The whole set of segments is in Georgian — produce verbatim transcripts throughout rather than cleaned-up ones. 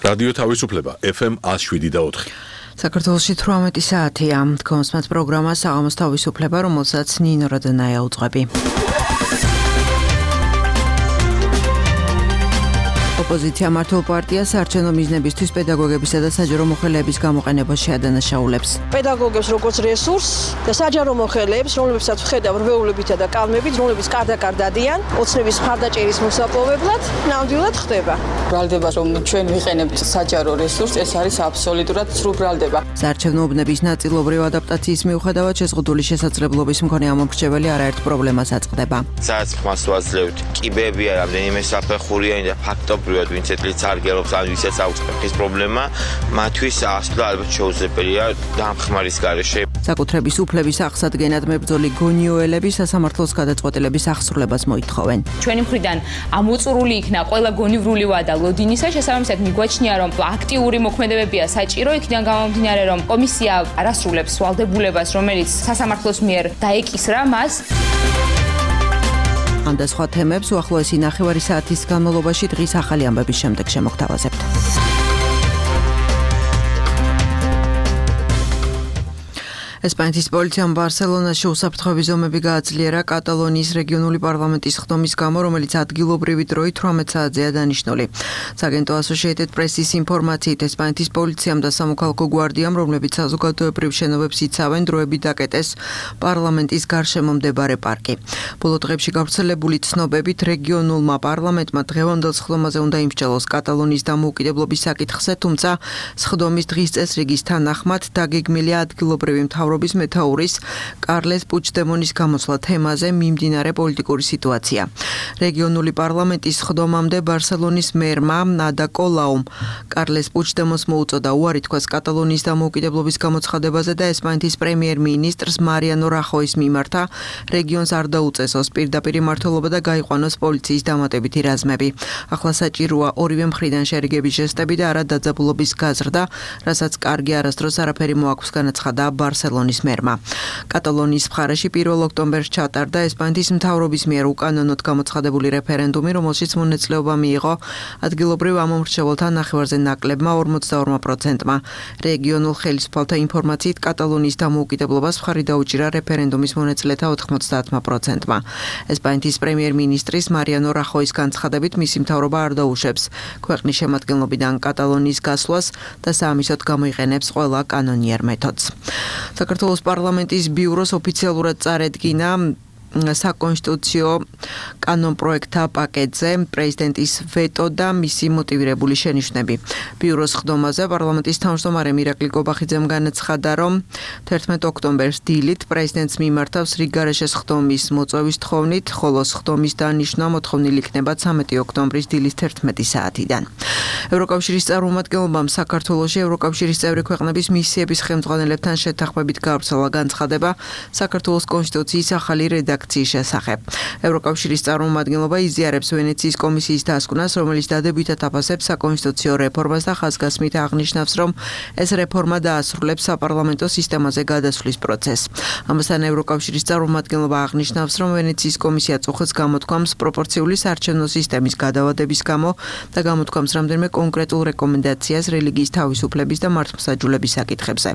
რადიო თავისუფლება F M one oh seven და four. საქართველოში თვრამეტი საათია. თქვენს პროგრამა საღამოს თავისუფლება, რომელსაც ნინო რადანაია უძღვები. ოპოზიცია მართლ პარტიას საარჩევნო მიზნებისთვის პედაგოგებისა და საჯარო მოხელეების გამოყენებას შეადანაშაულებს. პედაგოგებს როგორც რესურსს და საჯარო მოხელეებს, რომლებსაც ვხედავ რვეულებითა და კალმებით, რომლებიც კარდაკარ დადიან, ოცნების მხარდაჭერის მოსაპოვებლად, ნამდვილად ხდება. ბრალდება, რომ ჩვენ ვიყენებთ საჯარო რესურსს, ეს არის აბსოლუტურად სრულ ბრალდება. საარჩევნო უბნების ნაწილობრივ ადაპტაციის მიუხედავად შეზღუდული შესაძლებლობის მქონე ამომრჩეველი არაერთ პრობლემას აწყდება. სადაც ხმას ვაძლევთ, კიბებია, რამდენიმე საფეხურიანი და ფაქტობრივად ვინც ეთლიც არგელობს ან ვისაც აქვს ფეხის პრობლემა, მათთვის ასვლა ალბათ შეუძლებელია დამხმარის გარეშე. საკუთრების უფლების აღსადგენად მებრძოლი გონიოელები სასამართლოს გადაწყვეტილების აღსრულებას მოითხოვენ. ჩვენი მხრიდან ამოწურული იქნა ყველა გონივრული ვადა ლოდინისა, შესაბამისად მიგვაჩნია, რომ აქტიური მოქმედებებია საჭირო, იქიდან გამომდინარე, რომ კომისია არასრულებს ვალდებულებას, რომელიც სასამართლოს მიერ დაეკისრა მას. ამ და სხვა თემებს უახლოესი ნახევარი საათის განმავლობაში დღის ახალი ამბების შემდეგ შემოგთავაზებთ. ესპანეთის პოლიციამ ბარსელონაში უსაფრთხოების ზომები გააძლიერა კატალონიის რეგიონული პარლამენტის ხდომის გამო, რომელიც ადგილობრივი დროით თვრამეტ საათზეა დანიშნული. სააგენტო Associated Press-ის ინფორმაციით, ესპანეთის პოლიციამ და სამოქალაქო გვარდიამ, რომლებიც საზოგადოებრივ შენობებს იცავენ, დროებით დაკეტეს პარლამენტის გარშემო მდებარე პარკი. ბოლო დღეებში გავრცელებული ცნობებით, რეგიონულმა პარლამენტმა დღევანდელ სხდომაზე უნდა იმსჯელოს კატალონიის დამოუკიდებლობის საკითხზე, თუმცა სხდომის დღის წესრიგის თანახმად დაგეგმილია ადგილობრივი მთავრობის მეთაურის კარლეს პუჩდემონის გამოსვლა თემაზე მიმდინარე პოლიტიკური სიტუაცია. რეგიონული პარლამენტის სხდომამდე ბარსელონის მერმა ადა კოლაუმ კარლეს პუჩდემონს მოუწოდა უარი თქვას კატალონიის დამოუკიდებლობის გამოცხადებაზე და ესპანეთის პრემიერ-მინისტრს მარიანო რახოის მიმართა რეგიონს არ დაუწესოს პირდაპირ მმართველობა და გაიყვანოს პოლიციის დამატებითი რაზმები. ახლა საჭიროა ორივე მხრიდან შერიგების ჟესტები და არა დაძაბულობის გაზრდა, რასაც კარგი არასდროს არაფერი მოაქვს, განაცხადა ბარსელონის მერმა. კატალონიის მხარეში პირველ ოქტომბერს ჩატარდა ესპანეთის მთავრობის მიერ უკანონოდ გამოცხადებული რეფერენდუმი, რომელშიც მონაწილეობა მიიღო ადგილობრივ ამომრჩეველთა ნახევარზე ნაკლებმა ორმოცდაორ პროცენტმა. რეგიონულ ხელისუფალთა ინფორმაციით კატალონიის დამოუკიდებლობას მხარი დაუჭირა რეფერენდუმის მონაწილეთა ოთხმოცდაათ პროცენტმა. ესპანეთის პრემიერ-მინისტრის მარიანო რახოის განცხადებით, მისი მთავრობა არ დაუშვებს ქვეყნის შემადგენლობიდან კატალონიის გასვლას და საამისოდ გამოიყენებს ყველა კანონიერ მეთოდს. საქართველოს პარლამენტის ბიუროს ოფიციალურად წარედგინა საკონსტიტუციო კანონპროექტთა პაკეტზე პრეზიდენტის ვეტო და მისი მოტივირებული შენიშვნები. ბიუროს ხდომაზე პარლამენტის თავმჯდომარე მირაკლი კობახიძემ განაცხადა, რომ თერთმეტ ოქტომბერს დილით პრეზიდენტს მიმართავს რიგგარეშე ხდომის მოწვევის თხოვნით, ხოლო ხდომის დანიშვნა მოთხოვნილი იქნება ცამეტი ოქტომბრის დილის თერთმეტი საათიდან. ევროკავშირის წარმომადგენლობამ საქართველოში ევროკავშირის წევრი ქვეყნების მისიების ხელმძღვანელებთან შეთანხმებით გაავრცელა განცხადება საქართველოს კონსტიტუციის ახალი რედაქციის შესახებ. ევროკავშირის წარმომადგენლობა იზიარებს ვენეციის კომისიის დასკვნას, რომელიც დადებითად აფასებს საკონსტიტუციო რეფორმას და ხაზგასმით აღნიშნავს, რომ ეს რეფორმა დაასრულებს საპარლამენტო სისტემაზე გადასვლის პროცესს. ამასთან ევროკავშირის წარმომადგენლობა აღნიშნავს, რომ ვენეციის კომისია წუხეთს გამოთქვამს პროპორციული საარჩევნო სისტემის გადავადების გამო და გამოთქვამს რამდენიმე კონკრეტულ რეკომენდაციას რელიგიის თავისუფლების და მართლმსაჯულების საკითხებზე.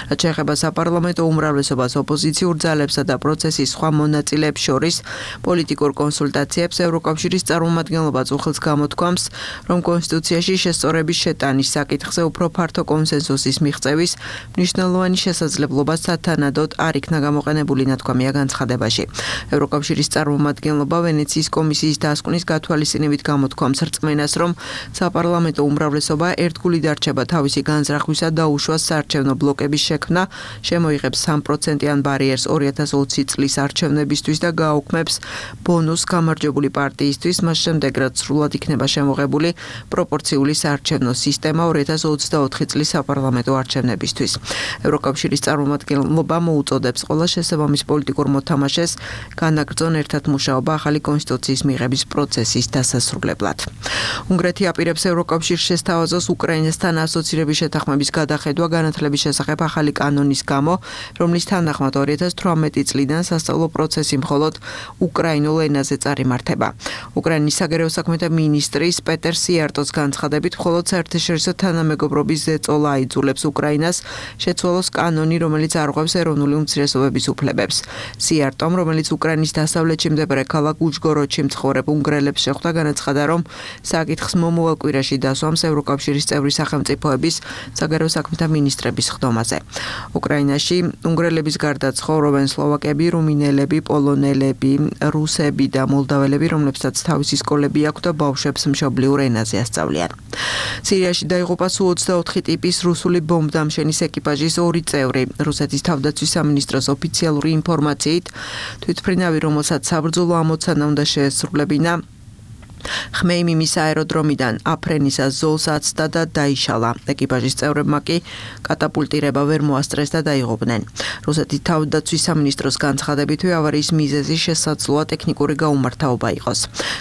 რაც შეეხება საპარლამენტო უმრავლესობას, ოპოზიციურ ძალებსა და პროცესის სხვა მონაწილეებს შორის პოლიტიკურ კონსულტაციებს ევროკავშირის წარმომადგენლობა წუხელს გამოთქვამს, რომ კონსტიტუციაში შესწორების შეტანის საკითხზე უფრო ფართო კონსენსუსის მიღწევის მნიშვნელოვანი შესაძლებლობა სათანადოდ არ იქნა გამოყენებული, ნათქვამია განცხადებაში. ევროკავშირის წარმომადგენლობა ვენეციის კომისიის დასკვნის გათვალისწინებით გამოთქვამს რწმენას, რომ საპარლამენტო უმრავლესობა ერთგული დარჩება თავისი განზრახვისა და უშუალო საარჩევნო ბლოკების შექმნა, შემოიღებს სამ პროცენტიან ბარიერს ორი ათას ოცი წლის არჩევნებისთვის და გააუქმებს ბონუს გამარჯვებული პარტიისთვის, მას შემდეგ რაც სრულად იქნება შემოღებული პროპორციული საარჩევნო სისტემა ორი ათას ოცდაოთხი წლის საპარლამენტო არჩევნებისთვის. ევროკავშირის წარმომადგენლობა მოუწოდებს ყველა შესაბამის პოლიტიკურ მოთამაშეს განაგრძონ ერთად მუშაობა ახალი კონსტიტუციის მიღების პროცესის დასასრულებლად. უნგრეთი აპირებს ევროკავშირს შესთავაზოს უკრაინასთან ასოცირების შეთანხმების გადახედვა განათლების შესახებ ახალი კანონის გამო, რომლის თანახმად ორი ათას თვრამეტი წლიდან სასწავლო პროცესი კონფერენცი მხოლოდ უკრაინულ ენაზე წარიმართება. უკრაინის საგარეო საქმეთა მინისტრის პეტერ სიარტოს განცხადებით, მხოლოდ საერთაშორისო თანამეგობრობის ზეწოლა აიძულებს უკრაინას შეცვალოს კანონი, რომელიც არღვევს ეროვნული უმცირესობების უფლებებს. სიარტომ, რომელიც უკრაინის დასავლეთში მდებარე ქალაქ უჟგოროდში მცხოვრებ უნგრელებს შეხვდა, განაცხადა, რომ საკითხს მომავალ კვირაში დასვამს ევროკავშირის წევრი სახელმწიფოების საგარეო საქმეთა მინისტრების ხდომაზე. უკრაინაში უნგრელების გარდა ცხოვრობენ სლოვაკები, რუმინელები, პოლონელები, რუსები და მოლდაველები, რომლებსაც თავისი სკოლები აქვთ და ბავშვებს მშობლიურ ენაზე ასწავლიან. სირიაში დაიღუპა სუ ოცდაოთხი ტიპის რუსული ბომბდამშენის ეკიპაჟის ორი წევრი. რუსეთის თავდაცვის სამინისტროს ოფიციალური ინფორმაციით, თვითმფრინავი, რომელსაც საბრძოლო ამოცანა უნდა შეესრულებინა, ხმეიმიმის აეროდრომიდან აფრენისას ზოლს აცდა და დაიშალა. ეკიპაჟის წევრებმა კი კატაპულტირება ვერ მოასწრეს და დაიღუპნენ. რუსეთის თავდაცვის სამინისტროს განცხადებითვე ავარიის მიზეზი შესაძლოა ტექნიკური გაუმართავობა იყოს.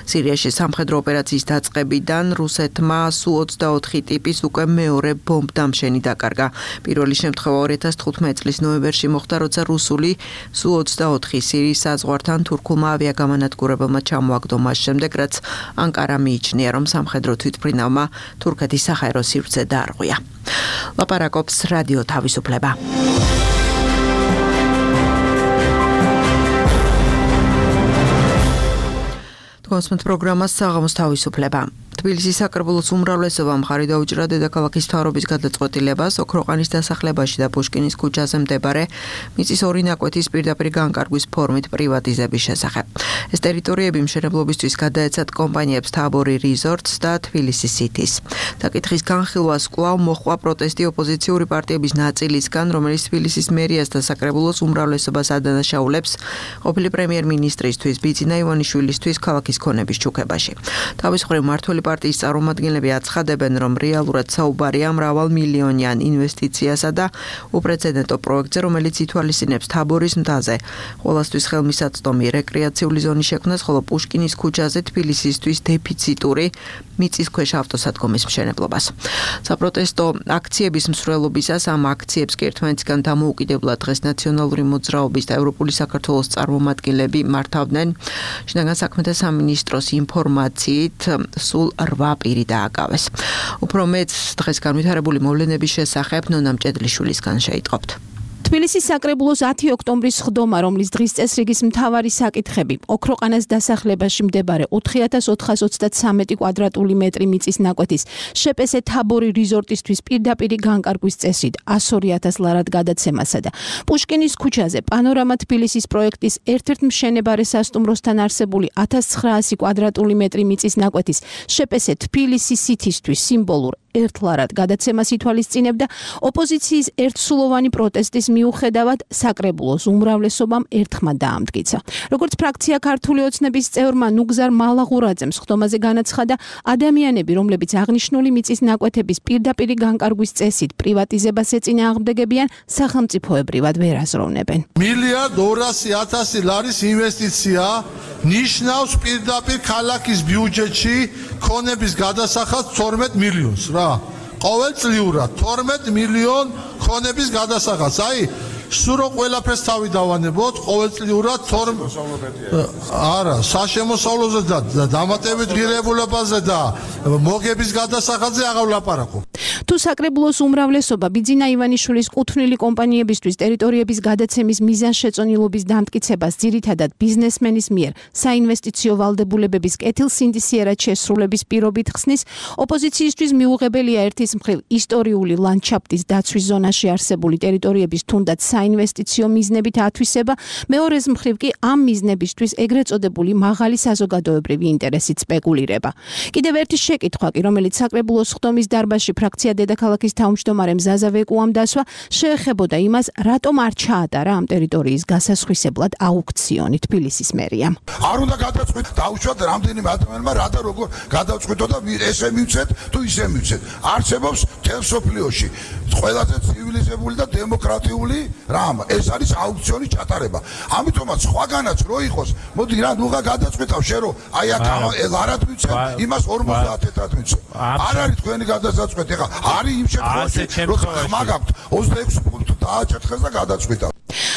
სირიაში სამხედრო ოპერაციის დაწყებიდან რუსეთმა სუ ოცდაოთხი ტიპის უკვე მეორე ბომბდამშენი დაკარგა. პირველი შემთხვევა ორი ათას თხუთმეტი წლის ნოემბერში მოხდა, როცა რუსული სუ ოცდაოთხი სირიის საზღვართან თურქულმა ავიაგამანადგურებელმა ჩამოაგდო მას შემდეგ, რაც ანკარა მიიჩნია, რომ სამხედრო თვითმფრინავმა თურქეთის საჰაერო სივრცე დაარღვია. ლაპარაკობს რადიო თავისუფლება. თქვენს პროგრამას საღამოს თავისუფლება. თბილისის საკრებულოს უმრავლესობა მხარი დაუჭირა დედაქალაქის მთავრობის გადაწყვეტილებას ოქროყანის დასახლებაში და პუშკინის ქუჩაზე მდებარე მიწის ორი ნაკვეთის პირდაპირ განკარგვის ფორმით პრივატიზების შესახებ. ეს ტერიტორიები მშენებლობისთვის გადაეცათ კომპანიებს თაბორი რიზორტს და თბილისი სითის. საკითხის განხილვას კვლავ მოჰყვა პროტესტი ოპოზიციური პარტიების ნაწილისგან, რომელიც თბილისის მერიას და საკრებულოს უმრავლესობას ადანაშაულებს ყოფილი პრემიერ-მინისტრისთვის ბიძინა ივანიშვილისთვის ქალაქის ქონების ჩუქებაში. თავის მხრივ მმართველი პარტიის წარმომადგენლები აცხადებენ, რომ რეალურად საუბარია მრავალმილიონიან ინვესტიციასა და უპრეცედენტო პროექტზე, რომელიც ითვალისწინებს თაბორის მთაზე ყველასთვის ხელმისაწვდომი რეკრეაციული ზონის შექმნას, ხოლო პუშკინის ქუჩაზე თბილისისთვის დეფიციტური მიწისქვეშ ავტოსადგომის მშენებლობას. საპროტესტო აქციების მსვლელობისას ამ აქციებს კი ერთმანეთისგან დამოუკიდებლად დღეს ნაციონალური მოძრაობის და ევროპული საქართველოს წარმომადგენლები მართავდნენ. შინაგან საქმეთა სამინისტროს ინფორმაციით სულ რვა პირი დააკავეს. უფრო მეტ დღეს განვითარებული მოვლენების შესახებ ნონა მჭედლიშვილისგან შეიტყობთ. თბილისის საკრებულოს ათი ოქტომბრის სხდომა, რომლის დღის წესრიგის მთავარი საკითხები ოქროყანას დასახლებაში მდებარე ოთხი ათას ოთხას ოცდათსამეტი კვადრატული მეტრი მიწის ნაკვეთის შეპესე თაბორი რიზორტისთვის პირდაპირი განკარგვის წესით ასორი ათას ლარად გადაცემასა და პუშკინის ქუჩაზე პანორამა თბილისის პროექტის ერთ-ერთ მშენებარე სასტუმროსთან არსებული ათას ცხრაასი კვადრატული მეტრი მიწის ნაკვეთის შეპესე თბილისი სითისთვის სიმბოლურ ერთ ლარად გადაცემას ითვალისწინებდა ოპოზიციის ერთსულოვანი პროტესტის მიუხედავად საკრებულოს უმრავლესობამ ერთხმად დაამტკიცა. როგორც ფრაქცია ქართული ოცნების წევრმა ნუგზარ მალაღურაძემ სხდომაზე განაცხადა, ადამიანები, რომლებიც აღნიშნული მიწის ნაკვეთების პირდაპირი განკარგვის წესით პრივატიზებას ეწინააღმდეგებიან, სახელმწიფოებრივად ვერ აზროვნებენ. მილიარდ ორასი ათასი ლარის ინვესტიცია ნიშნავს პირდაპირ ქალაქის ბიუჯეტში ქონების გადასახადს თორმეტ მილიონს რა. ყოველწლიურად თორმეტ მილიონ ქონების გადასახადს. აი, სულ რო ყველაფერს თავი დავანებოთ, ყოველწლიურად არა, საშემოსავლოზე და დამატებით ღირებულებაზე და მოგების გადასახადზე აღარ ვლაპარაკობ. თუ საკრებულოს უმრავლესობა ბიძინა ივანიშვილის კუთვნილი კომპანიებისთვის ტერიტორიების გადაცემის მიზანშეწონილობის დამტკიცებას ძირითადად ბიზნესმენის მიერ საინვესტიციო ვალდებულებების კეთილსინდისიერად შესრულების პირობით ხსნის, ოპოზიციისთვის მიუღებელია ერთის მხრივ ისტორიული ლანდშაფტის დაცვის ზონაში არსებული ტერიტორიების თუნდაც საინვესტიციო მიზნებით ათვისება, მეორეს მხრივ კი ამ მიზნებისთვის ეგრეთ წოდებული მაღალი საზოგადოებრივი ინტერესით სპეკულირება. კიდევ ერთი შეკითხვა კი, რომელიც საკრებულოს სხდომის დარბაზში ფრაქცია დედაქალაქის თავმჯდომარემ ზაზა ვეკუამ დასვა, შეეხებოდა იმას, რატომ არ ჩაატარა ამ ტერიტორიის გასასხვისებლად აუქციონი თბილისის მერიამ. არ უნდა გადაწყვიტ, დაუშვათ რამდენიმე ადამიანმა რა და როგორ გადაწყვიტო და ესე მივცეთ თუ ისე მივცეთ. არსებობს მთელ სოფლიოში ყველაზე ცივილიზებული და დემოკრატიული რამ, ეს არის აუქციონის ჩატარება. ამიტომაც სხვაგანაც რო იყოს, მოდი რა ნუღა გადაწყვიტავ შენ რომ აი აქ ლარად მივცე, იმას ორმოცდაათ ეთრად მივცე. არ არის თქვენი გადასაწყვეტი. ეხლა არის იმ შემთხვევაში, როცა ხმა გაქვთ ოცდაექვსი ფუნტი დააჭერთ ხელს და გადაწყვიტავ.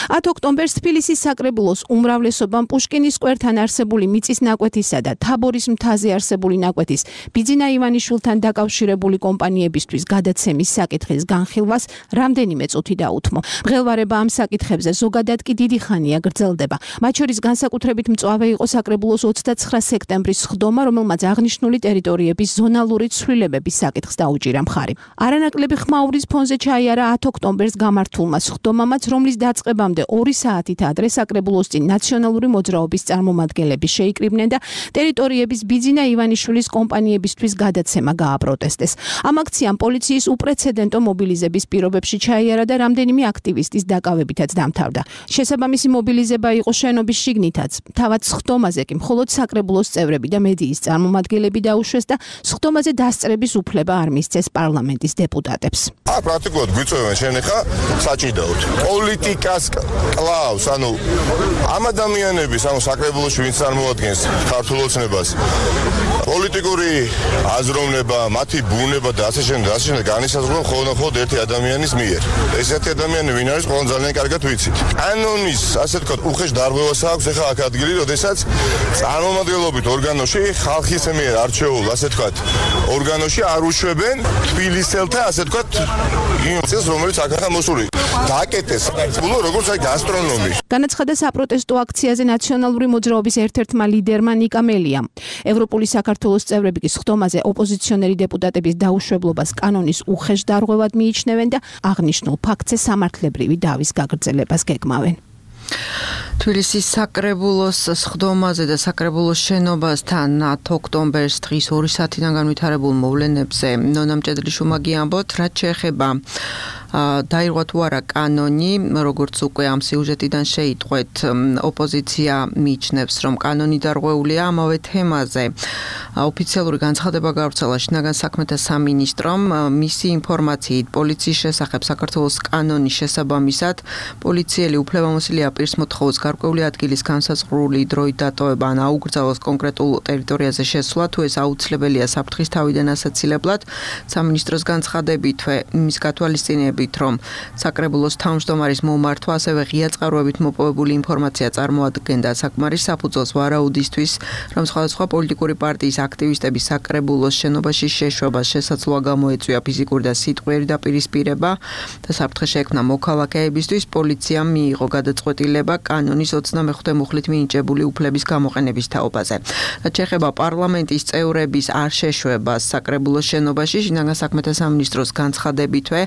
ათ ოქტომბერს თბილისის საკრებულოს უმრავლესობამ პუშკინის სკვერთან არსებული მიწის ნაკვეთისა და თაბორის მთაზე არსებული ნაკვეთის ბიძინა ივანიშვილთან დაკავშირებული კომპანიებისთვის გადაცემის საკითხის განხილვას რამდენიმე წუთი დაუთმო. მღელვარება ამ საკითხებზე ზოგადად კი დიდი ხანია გრძელდება. მათ შორის განსაკუთრებით მწვავე იყო საკრებულოს ოცდაცხრა სექტემბრის სხდომა, რომელმაც აღნიშნული ტერიტორიების ზონალური ცვლილებების საკითხს დაუჭირა მხარი. არანაკლები ხმაურის ფონზე ჩაიარა ათ ოქტომბერს გამართულმა სხდომამაც, რომლის დაწყებამდე ორი საათით ადრე საკრებულოს წინ ნაციონალური მოძრაობის წარმომადგენლები შეიკრიბნენ და ტერიტორიების ბიძინა ივანიშვილის კომპანიებისთვის გადაცემა გააპროტესტეს. ამ აქციამ პოლიციის უპრეცედენტო მობილიზების პირობებში ჩაიარა და რამდენიმე აქტივისტის დაკავებითაც დამთავრდა. შესაბამისი მობილიზება იყო შენობის შიგნითაც. თავად სხდომაზე კი მხოლოდ საკრებულოს წევრები და მედიის წარმომადგენლები დაუშვეს და სხდომაზე დასწრების უფლება არ მისცეს პარლამენტის დეპუტატებს. აქ პრაქტიკულად გვიწევენ შენეხა საჭიდაოდ. პოლიტიკას კლავს, ანუ ამ ადამიანების, ანუ საკრებულოში ვინც წარმოადგენს ქართულ ოცნებას, პოლიტიკური აზროვნება, მათი ბუნება და ასე შემდეგ, ასე შემდეგ განისაზღვრება მხოლოდ ერთი ადამიანის მიერ. ეს ერთი ადამიანი ვინ არის, ყველამ ძალიან კარგად ვიცით. კანონის, ასე ვთქვათ, უხეშ დარღვევას აქვს ახლა აქ ადგილი, როდესაც წარმომადგენლობით ორგანოში ხალხის მიერ არჩეულ, ასე ვთქვათ, ორგანოში არ უშვებენ თბილისელთა, ასე ვთქვათ, იმ წელს, რომელიც აქა მოსული. დააკეტეს, ბულო როგორც აი გასტრონომი. განაცხადა საპროტესტო აქციაზე ნაციონალური მოძრაობის ერთ-ერთმა ლიდერმა ნიკა მელიამ. ევროპული საქართველოს წევრები კი სხდომაზე ოპოზიციონერი დეპუტატების დაუშვებლობას კანონის უხეშ დარღვევად მიიჩნევენ და აღნიშნულ ფაქტზე სამართლებრივი დავის გაგრძელებას გეგმავენ. თბილისის საკრებულოს სხდომაზე და საკრებულოს შენობასთან ათ ოქტომბერს დღის ორი საათიდან განვითარებულ მოვლენებზე ნონა მჭედლიშვილმა გიამბოთ, რაც შეეხება დაირღვა თუ არა კანონი, როგორც უკვე ამ სიუჟეტიდან შეიტყვეთ, ოპოზიცია მიიჩნევს, რომ კანონი დარღვეულია ამავე თემაზე. ოფიციალური განცხადება გავრცელა შინაგან საქმეთა სამინისტრომ. მისი ინფორმაციით, პოლიციის შესახებ საქართველოს კანონის შესაბამისად, პოლიციელი უფლებამოსილია პირს მოთხოვოს გარკვეული ადგილის განსაზღვრული დროით დატოვება ან აუკრძალოს კონკრეტულ ტერიტორიაზე შესვლა, თუ ეს აუცილებელია საფრთხის თავიდან ასაცილებლად. სამინისტროს განცხადებითვე იმის გათვალისწინებით, რომ საკრებულოს თავმჯდომარის მომართვა, ასევე ღია წყაროებით მოპოვებული ინფორმაცია წარმოადგენდა საკმარის საფუძველს ვარაუდისთვის, რომ სხვადასხვა პოლიტიკური პარტიის აქტივისტების საკრებულოს შენობაში შეშვებას შესაძლოა გამოეწვია ფიზიკური და სიტყვიერი დაპირისპირება და საფრთხე შეექმნა მოქალაქეებისთვის. პოლიციამ მიიღო გადაწყვეტილება კანონის ოცდამეხუთე მუხლით მინიჭებული უფლების გამოყენების თაობაზე. რაც შეეხება პარლამენტის წევრების არ შეშვებას საკრებულოს შენობაში, შინაგან საქმეთა სამინისტროს განცხადებითვე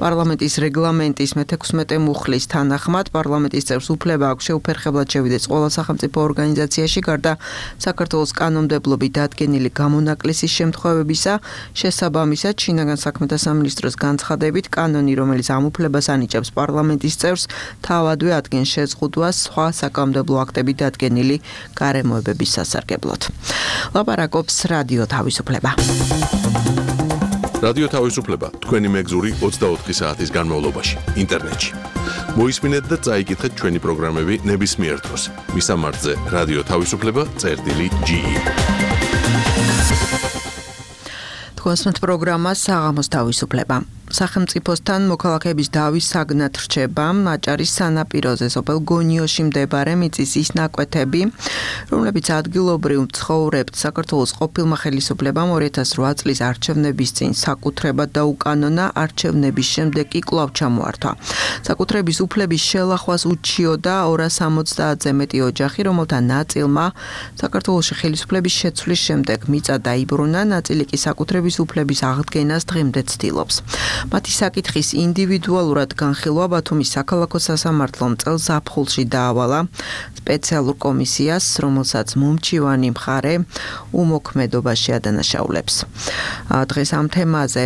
პარლამენტის რეგლამენტის მეთექვსმეტე მუხლის თანახმად პარლამენტის წევრს უფლება აქვს შეუფერხებლად შევიდეს ყველა სახელმწიფო ორგანიზაციაში, გარდა საქართველოს კანონმდებლობით დადგენილი გამონაკლისის შემთხვევებისა. შესაბამისად, შინაგან საქმეთა სამინისტროს განცხადებით, კანონი, რომელიც ამ უფლებას ანიჭებს პარლამენტის წევრს, თავადვე ადგენს შეზღუდვას სხვა საკანონმდებლო აქტებით დადგენილი გარემოებების სასარგებლოდ. ლაპარაკობს რადიო თავისუფლება. რადიო თავისუფლება თქვენი მეგზური ოცდაოთხი საათის განმავლობაში ინტერნეტში. მოისმინეთ და წაიკითხეთ ჩვენი პროგრამები ნებისმიერ დროს. მისამართზე რადიო თავისუფლება წერტილი ჯი. თქვენს პროგრამას საღამოს თავისუფლება. სახელმწიფოსთან მოქალაქეების დავის საგნად რჩება აჭარის სანაპიროზე სოფელ გონიოში მდებარე მიწის ის ნაკვეთები, რომლებიც ადგილობრივ მცხოვრებთ საქართველოს ყოფილმა ხელისუფლებამ ორი ათას რვა წლის არჩევნების წინ საკუთრებად დაუკანონა, არჩევნების შემდეგ კი კვლავ ჩამოართვა. საკუთრების უფლების შელახვას უჩიოდა ორას ორმოცდაათზე მეტი ოჯახი, რომელთა ნაწილმა საქართველოში ხელისუფლების შეცვლის შემდეგ მიწა დაიბრუნა, ნაწილი კი საკუთრების უფლების აღდგენას დღემდე ცდილობს. მათი საკითხის ინდივიდუალურად განხილვა ბათუმის საქალაქო სასამართლომ წელს ზაფხულში დაავალა სპეციალურ კომისიას, რომელსაც მომჩივანი მხარე უმოქმედობაში ადანაშაულებს. დღეს ამ თემაზე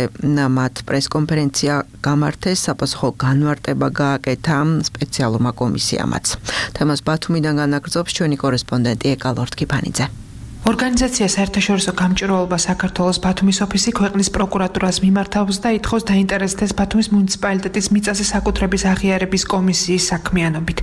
მათ პრესკონფერენცია გამართეს, საპასუხო განმარტება გააკეთა სპეციალურმა კომისიამაც. თემას ბათუმიდან განაგრძობს ჩვენი კორესპონდენტი ეკალორთ კიფანიძე. ორგანიზაცია საერთაშორისო გამჭირვალობა საქართველოს ბათუმის ოფისი ქვეყნის პროკურატურას მიმართავს და ითხოვს დაინტერესდეს ბათუმის მუნიციპალიტეტის მიწაზე საკუთრების აღიარების კომისიის საქმიანობით.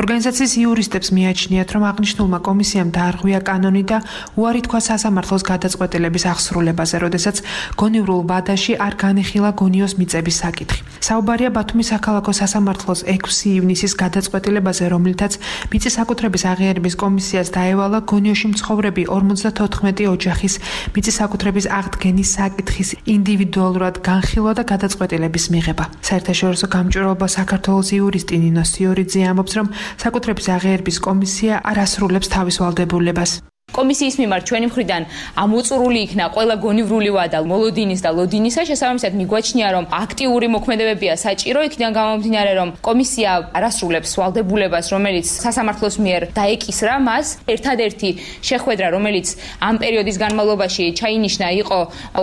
ორგანიზაციის იურისტებს მიაჩნიათ, რომ აღნიშნულმა კომისიამ დაარღვია კანონი და უარი თქვა სასამართლოს გადაწყვეტილების აღსრულებაზე, როდესაც გონივრულ ვადაში არ განიხილა გონიოს მიწების საკითხი. საუბარია ბათუმის საქალაქო სასამართლოს ექვსი ივნისის გადაწყვეტილებაზე, რომლითაც მიწის საკუთრების აღიარების კომისიას დაევალა გონიოში მცხოვრები ორმოცდათოთხმეტი ოჯახის მიწის საკუთრების აღდგენის საკითხის ინდივიდუალურად განხილვა და გადაწყვეტილების მიღება. საერთაშორისო გამჭვირვალობა საქართველოს იურისტი ნინო სიორიძე ამბობს, რომ საკუთრების აღიარების კომისია არ ასრულებს თავის ვალდებულებას. კომისიის მიმართ ჩვენი მხრიდან ამოწურული იქნა ყველა გონივრული ვადა მოლოდინის და ლოდინისა, შესაბამისად მიგვაჩნია, რომ აქტიური მოქმედებებია საჭირო, იქიდან გამომდინარე, რომ კომისია არ ასრულებს ვალდებულებას, რომელიც სასამართლოს მიერ დაეკისრა მას. ერთადერთი შეხვედრა, რომელიც ამ პერიოდის განმავლობაში ჩაინიშნა, იყო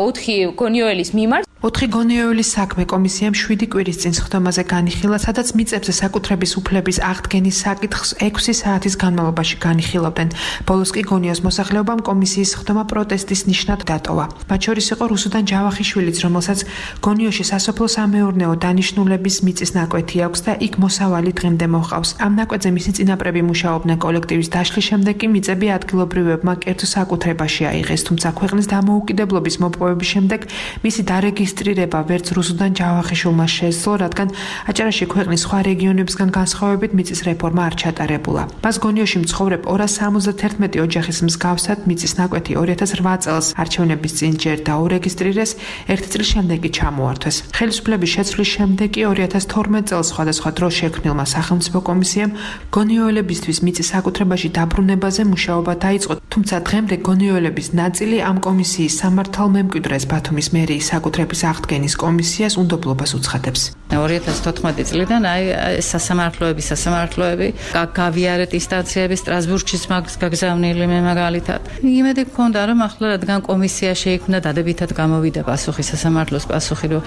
ოთხი გონიოელის მიმართ. ოთხი გონიოელის საქმე კომისიამ შვიდი კვირის წინ სხდომაზე განიხილა, სადაც მიწებზე საკუთრების უფლების აღდგენის საკითხს ექვსი საათის განმავლობაში განიხილავდნენ. ბოლოს კი გონიოს მოსახლეობამ კომისიის სხდომა პროტესტის ნიშნად დატოვა. მათ შორის იყო რუსუდან ჯავახიშვილიც, რომელსაც გონიოში სასოფლო-სამეურნეო დანიშნულების მიწის ნაკვეთი აქვს და იქ მოსავალი დღემდე მოჰყავს. ამ ნაკვეთზე მისი წინაპრები მუშაობდნენ კოლექტივის დაშლის შემდეგ კი მიწები ადგილობრივებმა კერძო საკუთრებაში აიღეს, თუმცა ქვეყნის დამოუკიდებლობის მოპოვების შემდეგ მისი დარეგისტრირება ვერც რუსუდან ჯავახიშვილმა შეძლო, რადგან აჭარაში ქვეყნის სხვა რეგიონებისგან განსხვავებით მიწის რეფორმა არ ჩატარებულა. მას გონიოში მცხოვრებ ორას სამოცდათერთმეტი ოჯახის მსგავსად მიწის ნაკვეთი ორი ათას რვა წელს არჩევნების წინ ჯერ დაურეგისტრირეს, ერთი წლის შემდეგ კი ჩამოართვეს. ხელისუფლების შეცვლის შემდეგ კი ორი ათას თორმეტ წელს სხვადასხვა დროს შექმნილმა სახელმწიფო კომისიამ გონიოელებისთვის მიწის საკუთრებაში დაბრუნებაზე მუშაობა დაიწყო, თუმცა დღემდე გონიოელების ნაწილი ამ კომისიის სამართალმემკვიდრეს ბათუმის მერიის საკუთრების აღდგენის კომისიას უნდობლობას უცხადებს. ორი ათას თოთხმეტი წლიდან აი სასამართლოები, სასამართლოები გავიარეთ ინსტანციები სტრასბურგშიც მაგს გაგზავნილი მე მაგალითად. იმედი გქონდა, რომ ახლა რადგან კომისია შეიქმნა, დადებითად გამოვიდა პასუხი სასამართლოს პასუხი, რომ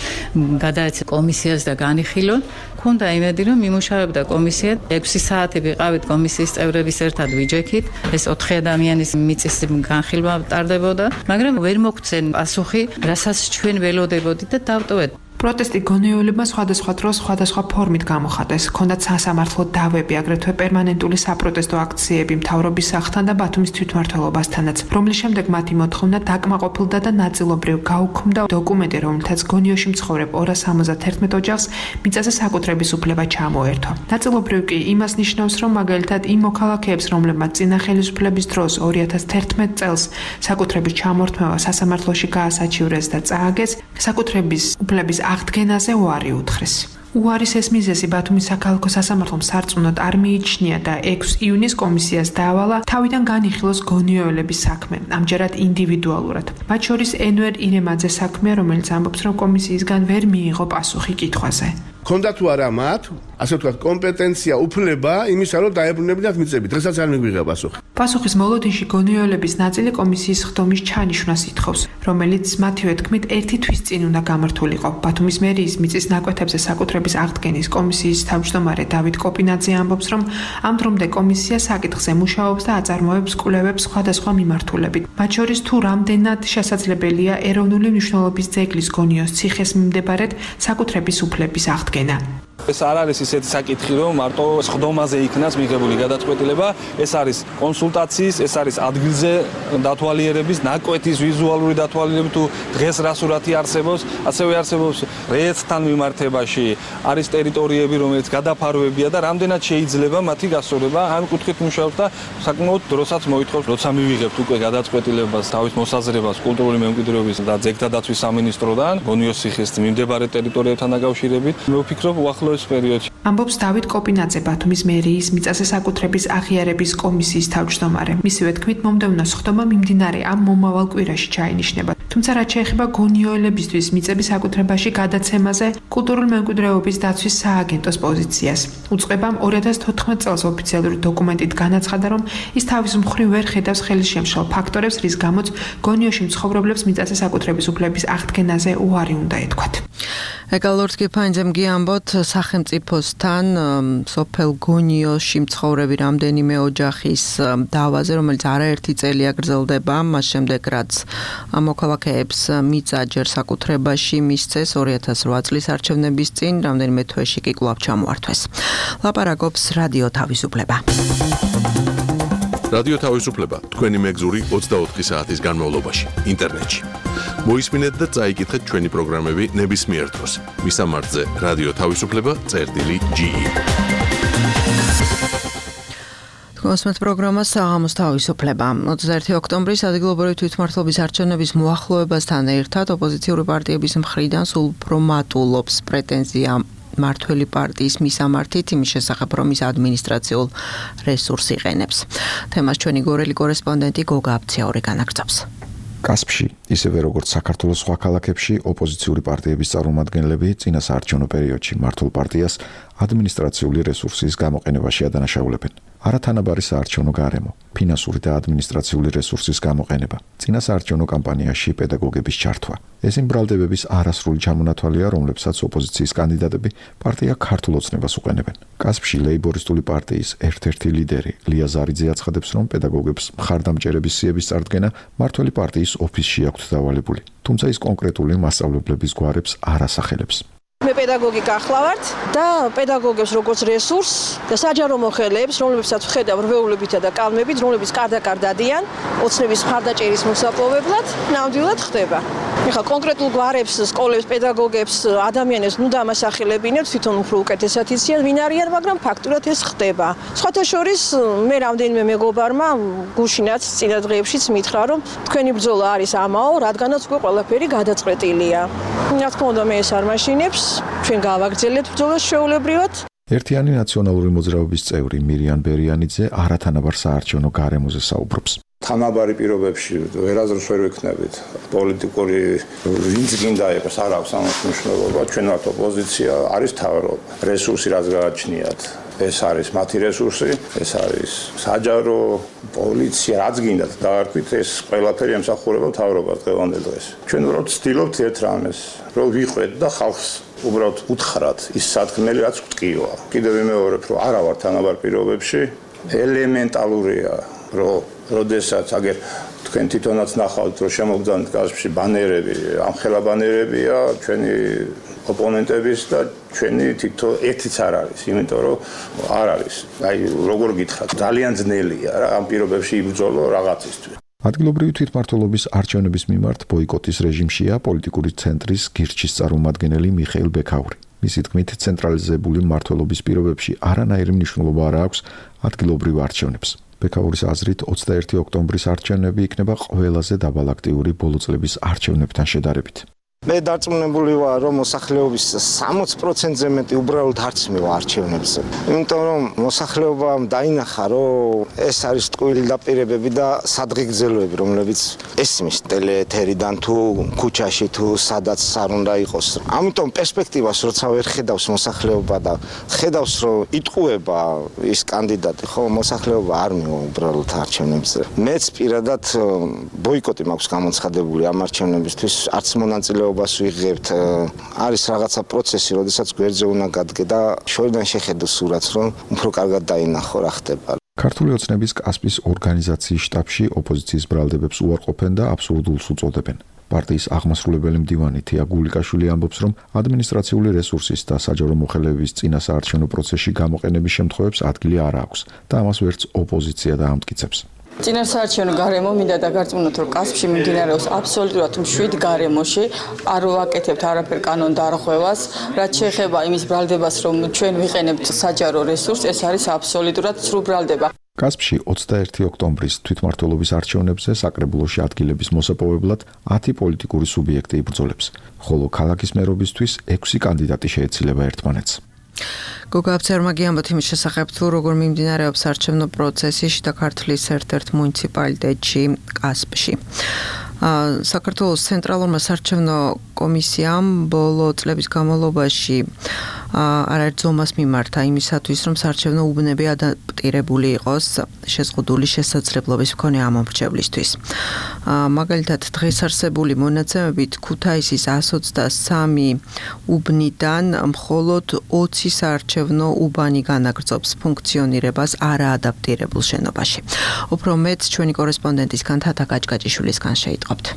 გადაეცა კომისიას და განიხილონ. გქონდა იმედი, რომ იმუშავებდა კომისია. ექვსი საათი ვიყავით კომისიის წევრების ერთად ვიჯექით. ეს ოთხი ადამიანის მიწის განხილვა ტარდებოდა, მაგრამ ვერ მოგცენ პასუხი, რასაც ჩვენ ველოდებოდით და დავტოვეთ. პროტესტი გონიოელებმა სხვადასხვა დროს სხვადასხვა ფორმით გამოხატეს. ჰქონდათ სასამართლო დავები, აგრეთვე პერმანენტული საპროტესტო აქციები მთავრობის სახლთან და ბათუმის თვითმმართველობასთანაც, რომლის შემდეგ მათი მოთხოვნა დაკმაყოფილდა და ნაწილობრივ გაუქმდა დოკუმენტი, რომელთაც გონიოში მცხოვრებ ორას სამოცდათერთმეტ ოჯახს მიწაზე საკუთრების უფლება ჩამოერთვა. ნაწილობრივ კი იმას ნიშნავს, რომ მაგალითად იმ მოქალაქეებს, რომლებმაც წინა ხელისუფლების დროს ორი ათას თერთმეტ წელს საკუთრების ჩამორთმევა სასამართლოში გაასაჩივრეს და წააგეს, საკუთრების უფლების აღდგენაზე უარი უთხრეს. უარის ეს მიზეზი ბათუმის საქალაქო სასამართლომ სარწმუნოდ არ მიიჩნია და ექვსი ივნისს კომისიას დაავალა თავიდან განიხილოს გონიოელების საქმე, ამჯერად ინდივიდუალურად. მათ შორის ენვერ ირემაძე საქმეა, რომელიც ამბობს, რომ კომისიისგან ვერ მიიღო პასუხი კითხვაზე. ქონდა თუ არა მათ, ასე ვთქვათ, კომპეტენცია, უფლება იმისა, რომ დაებრუნებინათ მიწები. დღესაც არ მიგვიღება პასუხი. პასუხის მოლოდინში გონიოელების ნაწილი კომისიის სხდომის ჩანიშვნას ითხოვს, რომელიც მათივე თქმით ერთი თვის წინ უნდა გამართულიყო. ბათუმის მერიის მიწის ნაკვეთებზე საკუთრების აღდგენის კომისიის თავმჯდომარე დავით კოპინაძე ამბობს, რომ ამ დრომდე კომისია საკითხზე მუშაობს და აწარმოებს კვლევებს სხვადასხვა მიმართულებით. მათ შორის თუ რამდენად შესაძლებელია ეროვნული მნიშვნელობის ძეგლის გონიოს ციხეს მიმდებარედ საკუთრების უფლების აღდგენა. ეს არ არის ისეთი საკითხი, რომ მარტო სხდომაზე იქნას მიღებული გადაწყვეტილება, ეს არის კონსულტაციის, ეს არის ადგილზე დათვალიერების, ნაკვეთის ვიზუალური დათვალიერების თუ დღეს რა სურათი არსებობს, ასევე არსებობს რეესტრთან მიმართებაში, არის ტერიტორიები, რომელიც გადაფარვებია და რამდენად შეიძლება მათი გასწორება, ამ კუთხით მუშაობს და საკმაოდ დროსაც მოითხოვს, როცა მივიღებთ უკვე გადაწყვეტილებას, თავის მოსაზრებას კულტურული მემკვიდრეობის და ძეგლთა დაცვის სამინისტროდან, გონიოს ციხის მიმდებარე ტერიტორიებთან დაკავშირებით, მე ვფიქრობ უახლოეს პერიოდში. ამბობს დავით კოპინაძე, ბათუმის მერიის მიწაზე საკუთრების აღიარების კომისიის თავმჯდომარე. მისივე თქმით, მომდევნო სხდომა მიმდინარე ამ მომავალ კვირაში ჩაინიშნება. თუმცა რაც შეეხება გონიოელებისთვის მიწების საკუთრებაში გადაცემაზე, კულტურული მემკვიდრეობის დაცვის სააგენტოს პოზიციას. უწყებამ ორი ათას თოთხმეტ წელს ოფიციალური დოკუმენტით განაცხადა, რომ ის თავის მხრივ ვერ ხედავს ხელისშემშლ ფაქტორებს, რის გამოც გონიოში მცხოვრებლებს მიწაზე საკუთრების უფლების აღდგენაზე უარი უნდა ეთქვათ. ეკალორსკი ფაინძემ გიამბოთ სახელმწიფოს ამბებთან სოფელ გონიოში მცხოვრები რამდენიმე ოჯახის დავაზე, რომელიც არაერთი წელია გრძელდება, მას შემდეგ რაც მოქალაქეებს მიწა ჯერ საკუთრებაში მისცეს ორი ათას რვა წლის არჩევნების წინ, რამდენიმე თვეში კი კვლავ ჩამოართვეს. ლაპარაკობს რადიო თავისუფლება. რადიო თავისუფლება თქვენი მეგზური ოცდაოთხი საათის განმავლობაში ინტერნეტში. მოისმინეთ და წაიკითხეთ ჩვენი პროგრამები ნებისმიერ დროს. მისამართზე რადიო თავისუფლება წერტილი ჯი ი. მოსმეთ პროგრამა საღამოს თავისუფლება. ოცდაერთი ოქტომბრის ადგილობრივი თვითმმართველობის არჩევნების მოახლოებასთან ერთად ოპოზიციური პარტიების მხრიდან სულ უფრო მატულობს პრეტენზია მართველი პარტიის მისამართით იმის შესახებ, რომ ის ადმინისტრაციულ რესურსს იყენებს. თემას ჩვენი გორელი კორესპონდენტი გოგა აბციაური განაგრძობს. კასპში, ისევე როგორც საქართველოს სხვა ქალაქებში, ოპოზიციური პარტიების წარმომადგენლები წინა საარჩევნო პერიოდში მართულ პარტიას ადმინისტრაციული რესურსის გამოყენებაში ადანაშაულებენ. არათანაბარი საარჩევნო გარემო, ფინანსური და ადმინისტრაციული რესურსის გამოყენება, წინა საარჩევნო კამპანიაში პედაგოგების ჩართვა. ეს იმ ბრალდებების არასრული ჩამონათვალია, რომლებსაც ოპოზიციის კანდიდატები პარტია ქართულ ოცნებას უყენებენ. კასპში ლეიბორისტული პარტიის ერთ-ერთი ლიდერი ლია ზარიძე აცხადებს, რომ პედაგოგებს მხარდამჭერების სიების წარდგენა მართველი პარტიის ოფისში აქვთ დავალებული, თუმცა ის კონკრეტული მასწავლებლების გვარებს არ ასახელებს. მე პედაგოგი გახლავართ და პედაგოგებს როგორც რესურსს და საჯარო მოხელეებს, რომლებსაც ვხედავ რვეულებითა და კალმებით, რომლებიც კარდაკარ დადიან ოცნების მხარდაჭერის მოსაპოვებლად, ნამდვილად ხდება. ეხლა კონკრეტულ გვარებს, სკოლებს, პედაგოგებს, ადამიანებს ნუ დამასახელებინებთ, თვითონ უფრო უკეთესად იციან, ვინ არიან, მაგრამ ფაქტურად ეს ხდება. სხვათა შორის მე რამდენიმე მეგობარმა გუშინაც წინა დღეებშიც მითხრა, რომ თქვენი ბრძოლა არის ამაო, რადგანაც უკვე ყველაფერი გადაწყვეტილია. რა თქმა უნდა, მე ეს არ მაშინებს. ჩვენ გავაგრძელებთ ბრძოლას შეულებრივად. ერთიანი ნაციონალური მოძრაობის წევრი მირიან ბერიანიძე არათანაბარ საარჩევნო გარემოზე საუბრობს. თანაბარი პირობებში ვერაზრს ვერ ვიქნებით. პოლიტიკური ვინც გინდა იყოს, არ აქვს ამას მნიშვნელობა. ჩვენ ვართ ოპოზიცია, არის თავრობა. რესურსი რაც გააჩნიათ, ეს არის მათი რესურსი, ეს არის საჯარო, პოლიცია, რაც გინდათ დაარქვით, ეს ყველაფერი ემსახურება თავრობას დღევანდელ დღეს. ჩვენ უბრალოდ ვცდილობთ ერთ რამეს, რომ ვიყვეთ და ხალხს უბრალოდ უთხრათ ის სათქმელი, რაც გვტკივა. კიდევ ვიმეორებ, რომ არა ვარ თანაბარ პირობებში, ელემენტალურია, რომ როდესაც აგერ თქვენ თვითონაც ნახავთ, რომ შემოგძანთ კასპში ბანერები, ამხელა ბანერებია ჩვენი ოპონენტების და ჩვენი თითო ერთიც არ არის, იმიტომ რომ არ არის. აი, როგორ გითხრათ, ძალიან ძნელია რა ამ პირობებში იბრძოლო რაღაცისთვის. ადგილობრივი თვითმმართველობის არჩევნების მიმართ ბოიკოტის რეჟიმშია პოლიტიკური ცენტრის გირჩის წარმომადგენელი მიხეილ ბექაური. მისი თქმით, ცენტრალიზებული მმართველობის პირობებში არანაირი მნიშვნელობა არ აქვს ადგილობრივ არჩევნებს. ბექაურის აზრით, ოცდაერთი ოქტომბრის არჩევნები იქნება ყველაზე დაბალაქტიური ბოლო წლების არჩევნებთან შედარებით. მე დარწმუნებული ვარ, რომ მოსახლეობის სამოცი პროცენტზე მეტი უბრალოდ არც მივა არჩევნებზე. იმიტომ რომ მოსახლეობამ დაინახა, რომ ეს არის ტყუილი დაპირებები და სადღეგრძელოები, რომლებიც ესმის ტელეეთერიდან თუ ქუჩაში თუ სადაც არ უნდა იყოს. ამიტომ პერსპექტივას როცა ვერ ხედავს მოსახლეობა და ხედავს, რომ იტყუება ის კანდიდატი, ხო, მოსახლეობა არ მივა უბრალოდ არჩევნებზე. მეც პირადად ბოიკოტი მაქვს გამოცხადებული ამ არჩევნებისთვის, არც მონაწილეობა ვიღებთ. არის რაღაცა პროცესი, როდესაც გვერდზე უნდა გადგე და შორიდან შეხედო სურათს, რომ უფრო კარგად დაინახო რა ხდება. ქართული ოცნების კასპის ორგანიზაციის შტაბში ოპოზიციის ბრალდებებს უარყოფენ და აბსურდულს უწოდებენ. პარტიის აღმასრულებელი მდივანი თია გულიკაშვილი ამბობს, რომ ადმინისტრაციული რესურსის და საჯარო მოხელეების წინა საარჩევნო პროცესში გამოყენების შემთხვევებს ადგილი არ აქვს და ამას ვერც ოპოზიცია დაამტკიცებს. წინასაარჩევნო გარემო მინდა დაგარწმუნოთ, რომ კასპში მიმდინარეობს აბსოლუტურად მშვიდ გარემოში, არ ვაკეთებთ არაფერ კანონდარღვევას, რაც შეეხება იმის ბრალდებას, რომ ჩვენ ვიყენებთ საჯარო რესურსს, ეს არის აბსოლუტურად სრულ ბრალდება. კასპში ოცდაერთი ოქტომბრის თვითმმართველობის არჩევნებზე საკრებულოში ადგილების მოსაპოვებლად ათი პოლიტიკური სუბიექტი იბრძოლებს, ხოლო ქალაქის მერობისთვის ექვსი კანდიდატი შეეცილება ერთმანეთს. გოგა აბციაურმა გიამბოთ იმის შესახებ, თუ როგორ მიმდინარეობს არჩევნო პროცესი შიდა ქართლის ერთ-ერთ მუნიციპალიტეტში კასპში. საქართველოს ცენტრალურმა საარჩევნო კომისიამ ბოლო წლების განმავლობაში არაერთ ზომას მიმართა იმისათვის, რომ საარჩევნო უბნები ადაპტირებული იყოს შეზღუდული შესაძლებლობის მქონე ამომრჩევლისთვის. მაგალითად, დღეს არსებული მონაცემებით ქუთაისის εκατს ოცდასამი უბნიდან მხოლოდ ოცი საარჩევნო უბანი განაგრძობს ფუნქციონირებას არაადაპტირებულ შენობაში. უფრო მეტ ჩვენი კორესპონდენტისგან თათა გაჭგაჭიშვილისგან შეიტყობთ.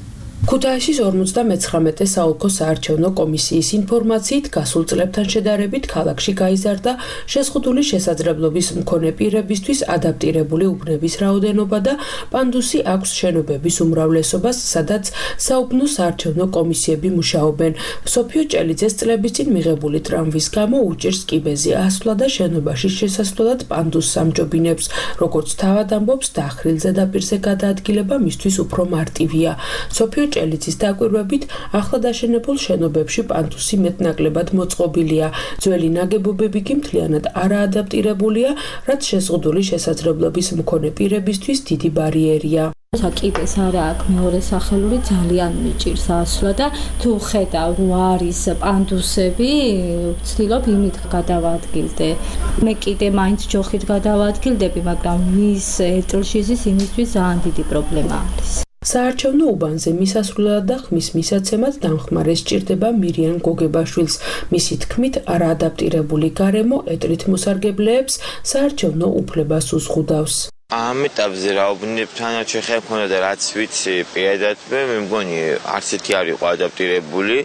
ქუთაისის ორმოცდამეცხრამეტე საოლქო საარჩევნო კომისიის ინფორმაციით გასულ წლებთან შედარებით ქალაქში გაიზარდა შეზღუდული შესაძლებლობის მქონე პირებისთვის ადაპტირებული უბნების რაოდენობა და პანდუსი აქვს შენობების უმრავლესობას, სადაც საუბნო საარჩევნო კომისიები მუშაობენ. სოფიო ჭელიძეს წლების წინ მიღებული ტრამვის გამო უჭირს კიბეზე ასვლა და შენობაში შესასვლელად პანდუსს ამჯობინებს. როგორც თავად ამბობს, დახრილ ზედაპირზე გადაადგილება მისთვის უფრო მარტივია. სოფიო ჭელიძის დაკვირვებით, ახლად აშენებულ შენობებში პანდუსი მეტნაკლებად მოწყობილია. ძველი ნაგებობები კი მთლიანად არაადაპტირებულია, რაც შეზღუდული შესაძლებლობის მქონე პირებისთვის დიდი ბარიერია. კიბეს არა აქვს მეორე სახელური, ძალიან მიჭირს ასვლა და თუ ხედავ რომ არის პანდუსები, ვცდილობ იმით გადავადგილდე. მე კიდე მაინც ჯოხით გადავადგილდები, მაგრამ მის ერთლში ზის იმისთვის ძალიან დიდი პრობლემა არის. საარჩევნო უბანზე მისასვლელად და ხმის მისაცემად დამხმარე სჭირდება მირიან გოგებაშვილს. მისი თქმით, არაადაპტირებული გარემო ეტლით მოსარგებლეებს საარჩევნო უფლებას უზღუდავს. ამ ეტაპზე რა უბნებთან შეხება მქონდა და რაც ვიცი პირადად მე მგონი არც ერთი არ იყო ადაპტირებული.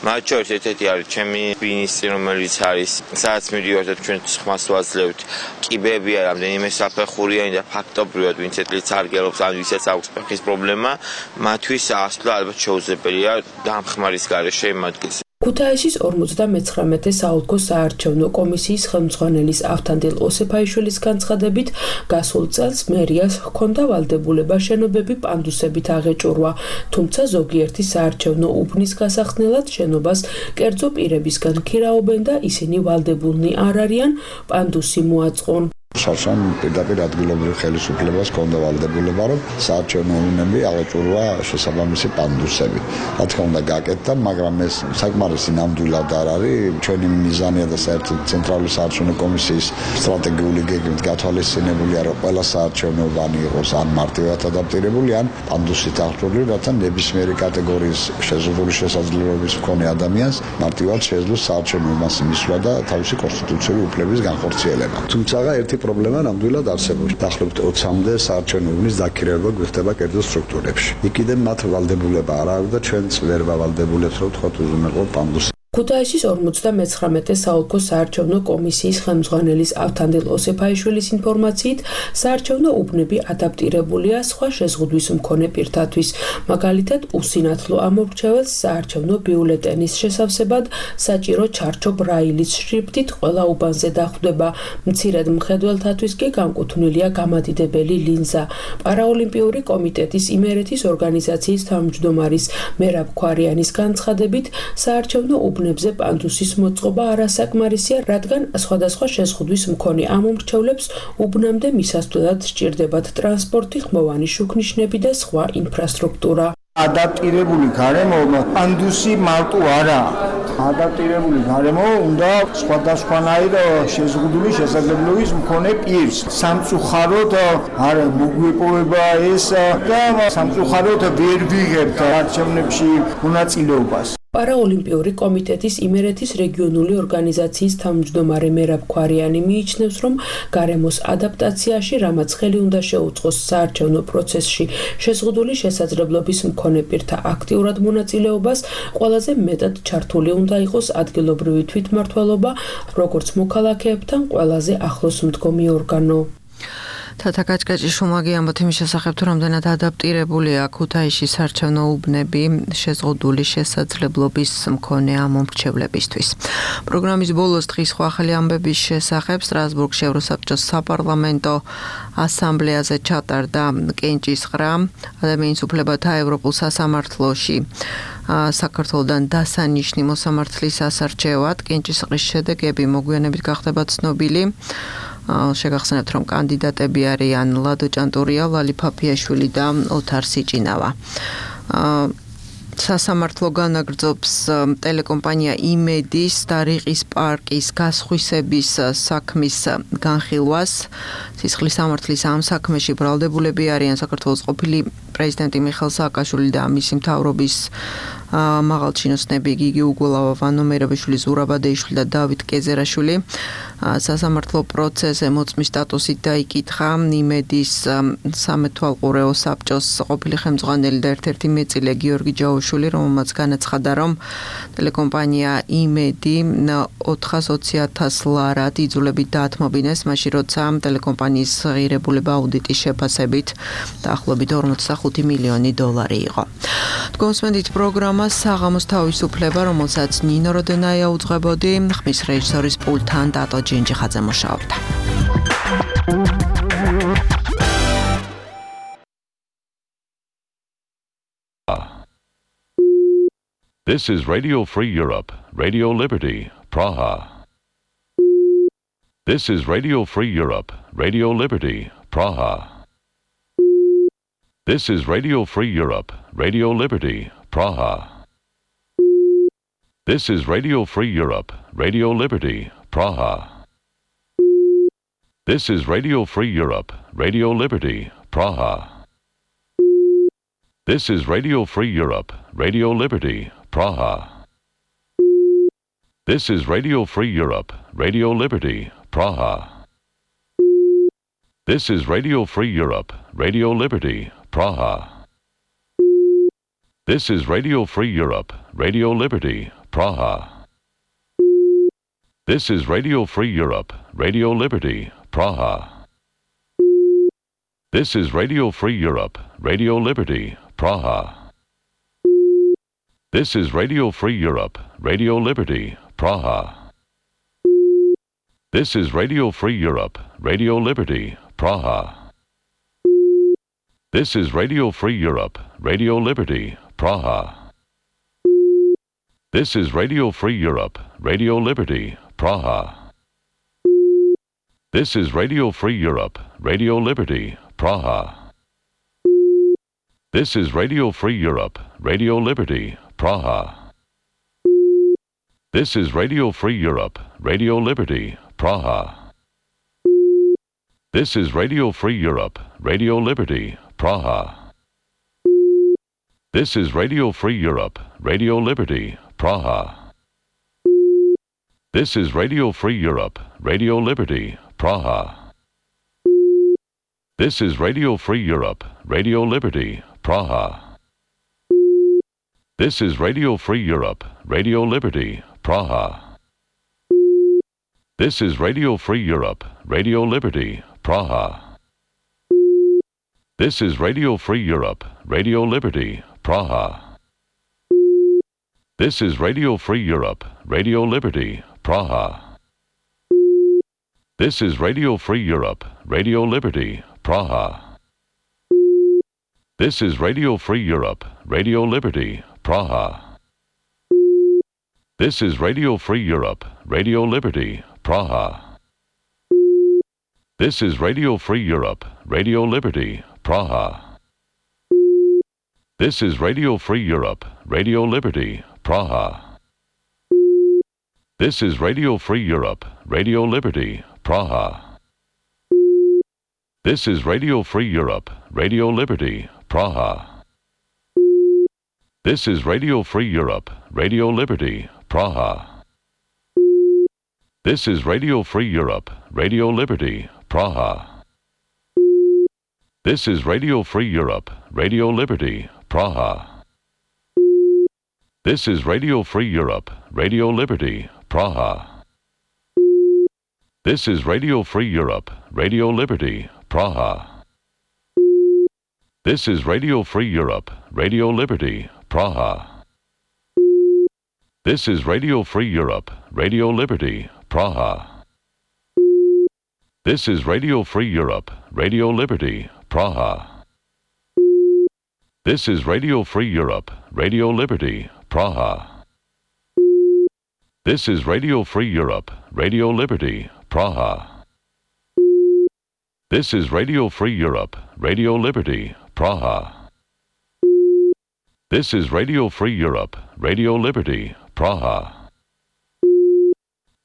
მათ შორის ერთ-ერთი არის ჩემი მინისტრი, რომელიც არის სადაც მიდივართ და ჩვენ ხმას ვაძლევთ. კიბებია რამდენიმე საფეხურიანი და ფაქტობრივად ვინც ეტლით სარგებლობს ან ვისაც აქვს ფეხის პრობლემა, მათთვის ასვლა ალბათ შეუძლებელია დამხმარის გარეშე იმ ადგილზე. ქუთაისის ორმოცდამეცხრამეტე საოლქო საარჩევნო კომისიის ხელმძღვანელის ავთანდილ ოსეფაიშვილის განცხადებით, გასულ წელს მერიას ჰქონდა ვალდებულება შენობები პანდუსებით აღეჭურვა, თუმცა ზოგიერთი საარჩევნო უბნის გასახსნელად შენობას კერძო პირებისგან ქირაობენ და ისინი ვალდებულნი არ არიან პანდუსი მოაწყონ. შარშან პირდაპირ ადგილობრივ ხელისუფლებას ჰქონდა ვალდებულება, რომ საარჩევნო უბნები აღეჭურვა შესაბამისი პანდუსები. რა თქმა უნდა გაკეთდა, მაგრამ ეს საკმარისი ნამდვილად არ არის. ჩვენი მიზანია და საერთოდ ცენტრალური საარჩევნო კომისიის სტრატეგიული გეგმით გათვალისწინებულია, რომ ყველა საარჩევნო უბანი იყოს ან მარტივად ადაპტირებული, ან პანდუსით აღჭურვილი, რათა ნებისმიერი კატეგორიის შეზღუდული შესაძლებლობის მქონე ადამიანს მარტივად შეეძლოს საარჩევნო უბანს მისვლა და თავისი კონსტიტუციური უფლების განხორციელება. თუმცა ერთი პრობლემა ნამდვილად არსებობს. დაახლოებით ოცამდე საარჩევნო უბნის დაქირავება გვხდება კერძო სტრუქტურებში. იქიდან მათ ვალდებულება არ აქვს და ჩვენც ვერ ვავალდებულებს, რომ თქვათ უზრუნველყო პანდუსი. ქუთაისის ორმოცდამეცხრამეტე საოლქო საარჩევნო კომისიის ხელმძღვანელის ავთანდილ ოსეფაიშვილის ინფორმაციით, საარჩევნო უბნები ადაპტირებულია სხვა შეზღუდვის მქონე პირთათვის. მაგალითად, უსინათლო ამომრჩეველს საარჩევნო ბიულეტენის შესავსებად საჭირო ჩარჩო ბრაილის შრიფტით ყველა უბანზე დახვდება. მცირედ მხედველთათვის კი განკუთვნილია გამადიდებელი ლინზა. პარაოლიმპიური კომიტეტის იმერეთის ორგანიზაციის თავმჯდომარის მერაბ ქვარიანის განცხადებით, საარჩევნო უბნები უბნებზე პანდუსის მოწყობა არასაკმარისია, რადგან სხვადასხვა შეზღუდვის მქონე ამომრჩევლებს უბნამდე მისასვლელად სჭირდებათ ტრანსპორტი, ხმოვანი შუქნიშნები და სხვა ინფრასტრუქტურა. ადაპტირებული გარემო პანდუსი მარტო არაა. ადაპტირებული გარემო უნდა სხვადასხვანაირ შეზღუდული შესაძლებლობის მქონე პირს. სამწუხაროდ არ მოგვეპოვება ეს და სამწუხაროდ ვერ ვიღებთ არჩევნებში მონაწილეობას. პარაოლიმპიური კომიტეტის იმერეთის რეგიონული ორგანიზაციის თავმჯდომარე მერაბ ქვარიანი მიიჩნევს, რომ გარემოს ადაპტაციაში რამაც ხელი უნდა შეუწყოს საარჩევნო პროცესში შეზღუდული შესაძლებლობის მქონე პირთა აქტიურად მონაწილეობას, ყველაზე მეტად ჩართული უნდა იყოს ადგილობრივი თვითმმართველობა, როგორც მოქალაქეებთან ყველაზე ახლოს მდგომი ორგანო. თათა გაჭგაჭიშვილმა ამბობთ იმის შესახებ, თუ რამდენად ადაპტირებულია ქუთაისის საარჩევნო უბნები შეზღუდული შესაძლებლობის მქონე ამომრჩევლებისთვის. პროგრამის ბოლოს დღის სხვა ახალი ამბების შესახებ სტრასბურგში ევროსაბჭოს საპარლამენტო ასამბლეაზე ჩატარდა კენჭისყრა ადამიანის უფლებათა ევროპულ სასამართლოში საქართველოდან დასანიშნი მოსამართლის ასარჩევად. კენჭისყრის შედეგები მოგვიანებით გახდება ცნობილი. შეგახსენებთ, რომ კანდიდატები არიან ლადო ჭანტურია, ლალი ფაფიაშვილი და ოთარ სიჭინავა. სასამართლო განაგრძობს ტელეკომპანია იმედის და რიყის პარკის გასხვისების საქმის განხილვას. სისხლის სამართლის ამ საქმეში ბრალდებულები არიან საქართველოს ყოფილი პრეზიდენტი მიხეილ სააკაშვილი და მისი მთავრობის მაღალჩინოსნები გიგი უგულავა, ვანო მერაბიშვილი, ზურაბ ადეიშვილი და დავით კეზერაშვილი. სასამართლო პროცესზე მოწმის სტატუსით დაიკითხა იმედის სამეთვალყურეო საბჭოს ყოფილი ხელმძღვანელი და ერთ-ერთი მეწილე გიორგი ჯაოშვილი, რომელმაც განაცხადა, რომ ტელეკომპანია იმედი ოთხას ოცი ათას ლარად იძულებით დაათმობინეს, მაშინ როცა ტელეკომპანიის ღირებულება აუდიტის შეფასებით დაახლოებით ორმოცდახუთი მილიონი დოლარი იყო. თქვენსმენდით პროგრამა საღამოს თავისუფლება, რომელსაც ნინო როდენაია უძღვებოდი, ხმის რეჟისორის პულტთან დატო ჯინჯიხაძე მუშაობდა. This is Radio Free Europe, Radio Liberty, Praha. This is Radio Free Europe, Radio Liberty, Praha. This is Radio Free Europe, Radio Liberty, Praha. This is Radio Free Europe, Radio Liberty, Praha. This is Radio Free Europe, Radio Liberty, Praha. This is Radio Free Europe, Radio Liberty, Praha. This is Radio Free Europe, Radio Liberty, Praha. This is Radio Free Europe, Radio Liberty, Praha. This is Radio Free Europe, Radio Liberty, Praha. This is Radio Free Europe, Radio Liberty, Praha. This is Radio Free Europe, Radio Liberty, Praha. This is Radio Free Europe, Radio Liberty, Praha. This is Radio Free Europe, Radio Liberty, Praha. This is Radio Free Europe, Radio Liberty, Praha. This is Radio Free Europe, Radio Liberty, Praha. This is Radio Free Europe, Radio Liberty, Praha. This is Radio Free Europe, Radio Liberty, Praha. This is Radio Free Europe, Radio Liberty, Praha. This is Radio Free Europe, Radio Liberty, Praha. This is Radio Free Europe, Radio Liberty, Praha. This is Radio Free Europe, Radio Liberty, Praha. This is Radio Free Europe, Radio Liberty, Praha. This is Radio Free Europe, Radio Liberty, Praha. This is Radio Free Europe, Radio Liberty, Praha. This is Radio Free Europe, Radio Liberty, Praha. This is Radio Free Europe, Radio Liberty, Praha. This is Radio Free Europe, Radio Liberty, Praha. This is Radio Free Europe, Radio Liberty, Praha. This is Radio Free Europe, Radio Liberty, Praha. This is Radio Free Europe, Radio Liberty, Praha. This is Radio Free Europe, Radio Liberty, Praha. This is Radio Free Europe, Radio Liberty, Praha. This is Radio Free Europe, Radio Liberty, Praha. This is Radio Free Europe, Radio Liberty, Praha. This is Radio Free Europe, Radio Liberty, Praha. This is Radio Free Europe, Radio Liberty, Praha. This is Radio Free Europe, Radio Liberty, Praha. This is Radio Free Europe, Radio Liberty, Praha. This is Radio Free Europe, Radio Liberty, Praha. This is Radio Free Europe, Radio Liberty, Praha. This is Radio Free Europe, Radio Liberty, Praha. This is Radio Free Europe, Radio Liberty, Praha. This is Radio Free Europe, Radio Liberty, Praha. This is Radio Free Europe, Radio Liberty, Praha. This is Radio Free Europe, Radio Liberty, Praha.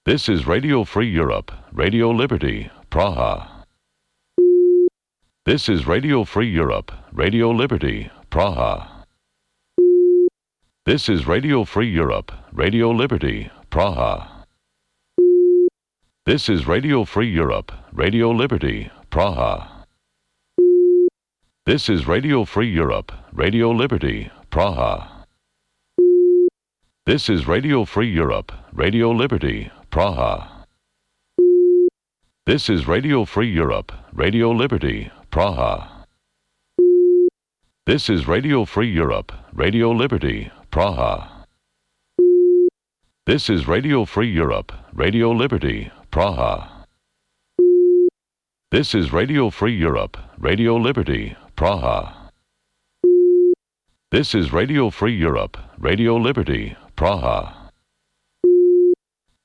This is Radio Free Europe, Radio Liberty, Praha. This is Radio Free Europe, Radio Liberty, Praha. This is Radio Free Europe, Radio Liberty, Praha. This is Radio Free Europe, Radio Liberty, Praha. This is Radio Free Europe, Radio Liberty, Praha. This is Radio Free Europe, Radio Liberty, Praha. This is Radio Free Europe, Radio Liberty, Praha. This is Radio Free Europe, Radio Liberty, Praha. This is Radio Free Europe, Radio Liberty, Praha. This is Radio Free Europe, Radio Liberty, Praha. This is Radio Free Europe, Radio Liberty, Praha.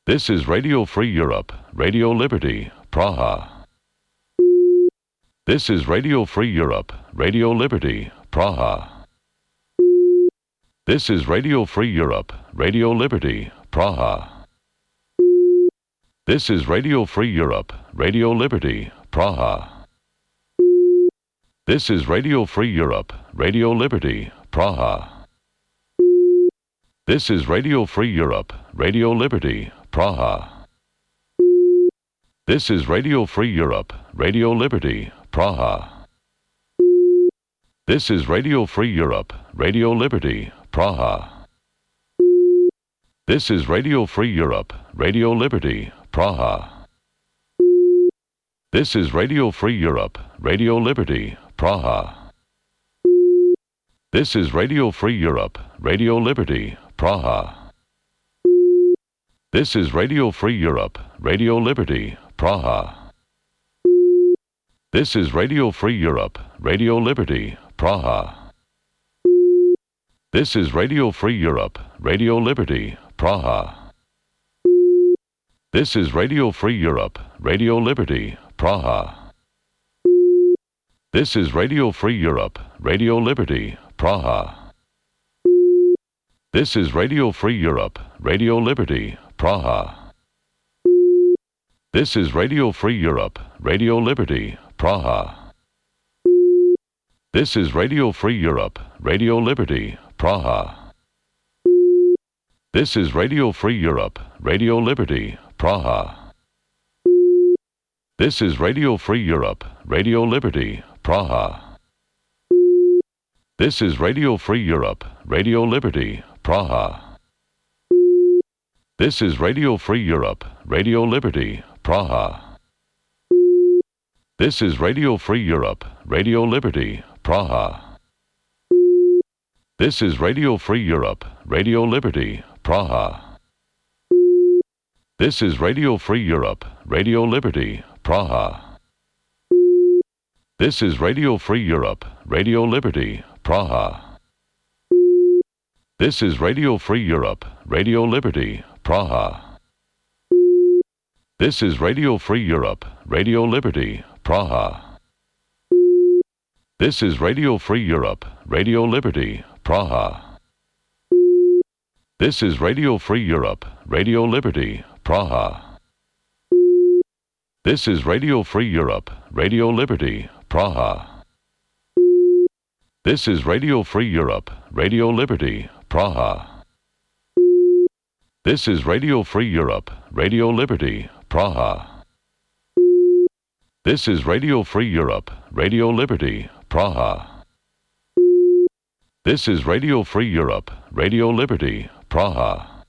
This is Radio Free Europe, Radio Liberty, Praha. This is Radio Free Europe, Radio Liberty, Praha. This is Radio Free Europe, Radio Liberty, Praha. This is Radio Free Europe, Radio Liberty, Praha. This is Radio Free Europe, Radio Liberty, Praha. This is Radio Free Europe, Radio Liberty, Praha. This is Radio Free Europe, Radio Liberty, Praha. This is Radio Free Europe, Radio Liberty, Praha. This is Radio Free Europe, Radio Liberty, Praha. This is Radio Free Europe, Radio Liberty, Praha. This is Radio Free Europe, Radio Liberty, Praha. This is Radio Free Europe, Radio Liberty, Praha. This is Radio Free Europe, Radio Liberty, Praha. This is Radio Free Europe, Radio Liberty, Praha. This is Radio Free Europe, Radio Liberty, Praha. This is Radio Free Europe, Radio Liberty, Praha. This is Radio Free Europe, Radio Liberty, Praha. This is Radio Free Europe, Radio Liberty, Praha. This is Radio Free Europe, Radio Liberty, Praha. This is Radio Free Europe, Radio Liberty, Praha. This is Radio Free Europe, Radio Liberty, Praha. This is Radio Free Europe, Radio Liberty, Praha. This is Radio Free Europe, Radio Liberty, Praha. This is Radio Free Europe, Radio Liberty, Praha. This is Radio Free Europe, Radio Liberty, Praha. This is Radio Free Europe, Radio Liberty, Praha. This is Radio Free Europe, Radio Liberty, Praha. This is Radio Free Europe, Radio Liberty, Praha. This is Radio Free Europe, Radio Liberty, Praha. This is Radio Free Europe, Radio Liberty, Praha. This is Radio Free Europe, Radio Liberty, Praha. This is Radio Free Europe, Radio Liberty, Praha. This is Radio Free Europe, Radio Liberty, Praha. This is Radio Free Europe, Radio Liberty, Praha. This is Radio Free Europe, Radio Liberty, Praha. This is Radio Free Europe, Radio Liberty, Praha.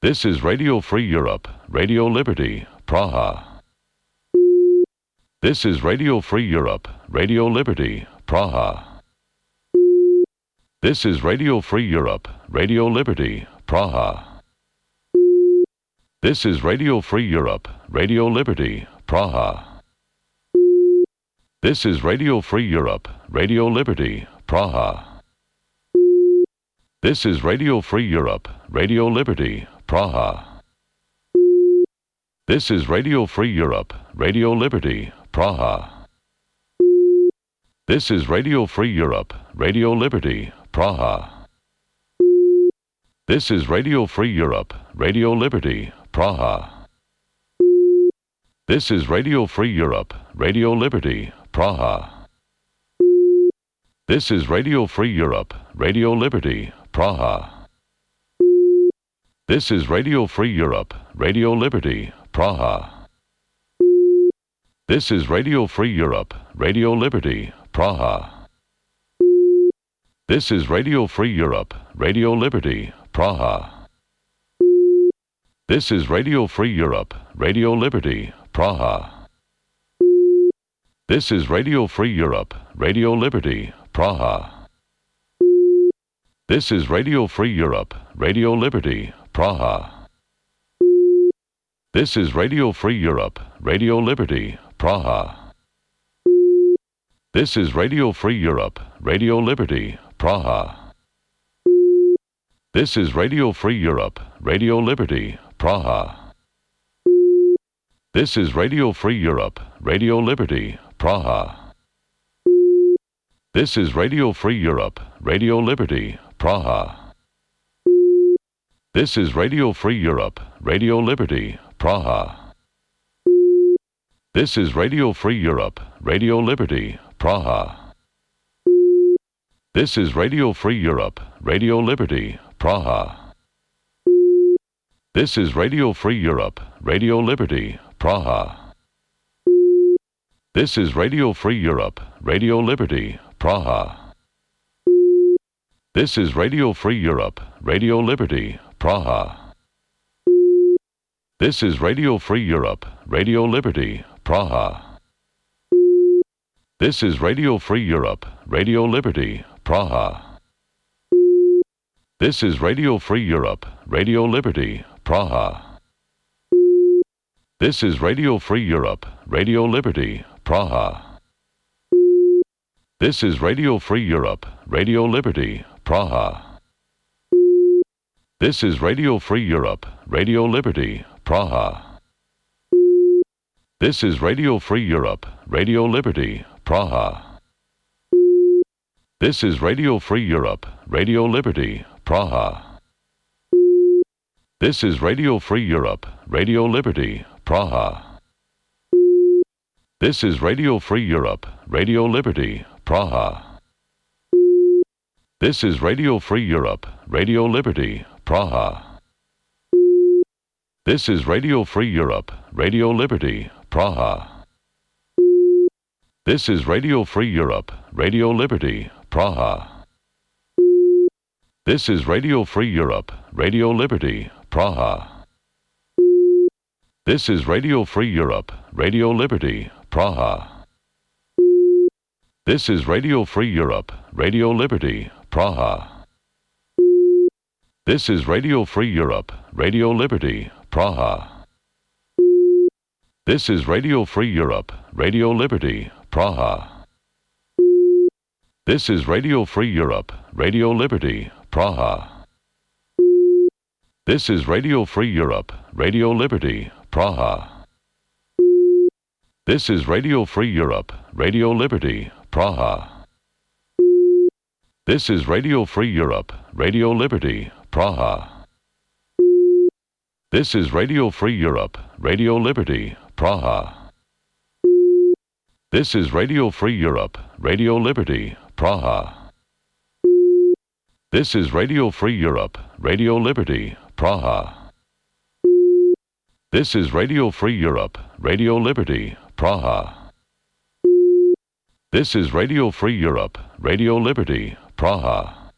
This is Radio Free Europe, Radio Liberty, Praha. This is Radio Free Europe, Radio Liberty, Praha. This is Radio Free Europe, Radio Liberty, Praha. This is Radio Free Europe, Radio Liberty, Praha. This is Radio Free Europe, Radio Liberty, Praha. This is Radio Free Europe, Radio Liberty, Praha. This is Radio Free Europe, Radio Liberty, Praha. This is Radio Free Europe, Radio Liberty, Praha. This is Radio Free Europe, Radio Liberty, Praha. This is Radio Free Europe, Radio Liberty, Praha. This is Radio Free Europe, Radio Liberty, Praha. This is Radio Free Europe, Radio Liberty, Praha. This is Radio Free Europe, Radio Liberty, Praha. This is Radio Free Europe, Radio Liberty, Praha. This is Radio Free Europe, Radio Liberty, Praha. This is Radio Free Europe, Radio Liberty, Praha. This is Radio Free Europe, Radio Liberty, Praha. This is Radio Free Europe, Radio Liberty, Praha. This is Radio Free Europe, Radio Liberty, Praha. This is Radio Free Europe, Radio Liberty, Praha. This is Radio Free Europe, Radio Liberty, Praha. This is Radio Free Europe, Radio Liberty, Praha. This is Radio Free Europe, Radio Liberty, Praha. This is Radio Free Europe, Radio Liberty, Praha. This is Radio Free Europe, Radio Liberty, Praha. This is Radio Free Europe, Radio Liberty, Praha. This is Radio Free Europe, Radio Liberty, Praha. This is Radio Free Europe, Radio Liberty, Praha. This is Radio Free Europe, Radio Liberty, Praha. This is Radio Free Europe, Radio Liberty, Praha. This is Radio Free Europe, Radio Liberty, Praha. This is Radio Free Europe, Radio Liberty, Praha. This is Radio Free Europe, Radio Liberty, Praha. This is Radio Free Europe, Radio Liberty, Praha. This is Radio Free Europe, Radio Liberty, Praha. This is Radio Free Europe, Radio Liberty, Praha. This is Radio Free Europe, Radio Liberty, Praha. This is Radio Free Europe, Radio Liberty, Praha. This is Radio Free Europe, Radio Liberty, Praha. This is Radio Free Europe, Radio Liberty, Praha. This is Radio Free Europe, Radio Liberty, Praha. This is Radio Free Europe, Radio Liberty, Praha. This is Radio Free Europe, Radio Liberty, Praha. This is Radio Free Europe, Radio Liberty, Praha. This is Radio Free Europe, Radio Liberty, Praha. This is Radio Free Europe, Radio Liberty, Praha. This is Radio Free Europe, Radio Liberty, Praha. This is Radio Free Europe, Radio Liberty, Praha. This is Radio Free Europe, Radio Liberty, Praha. This is Radio Free Europe, Radio Liberty, Praha. This is Radio Free Europe, Radio Liberty, Praha. This is Radio Free Europe, Radio Liberty, Praha. This is Radio Free Europe, Radio Liberty, Praha. This is Radio Free Europe, Radio Liberty, Praha. This is Radio Free Europe, Radio Liberty, Praha.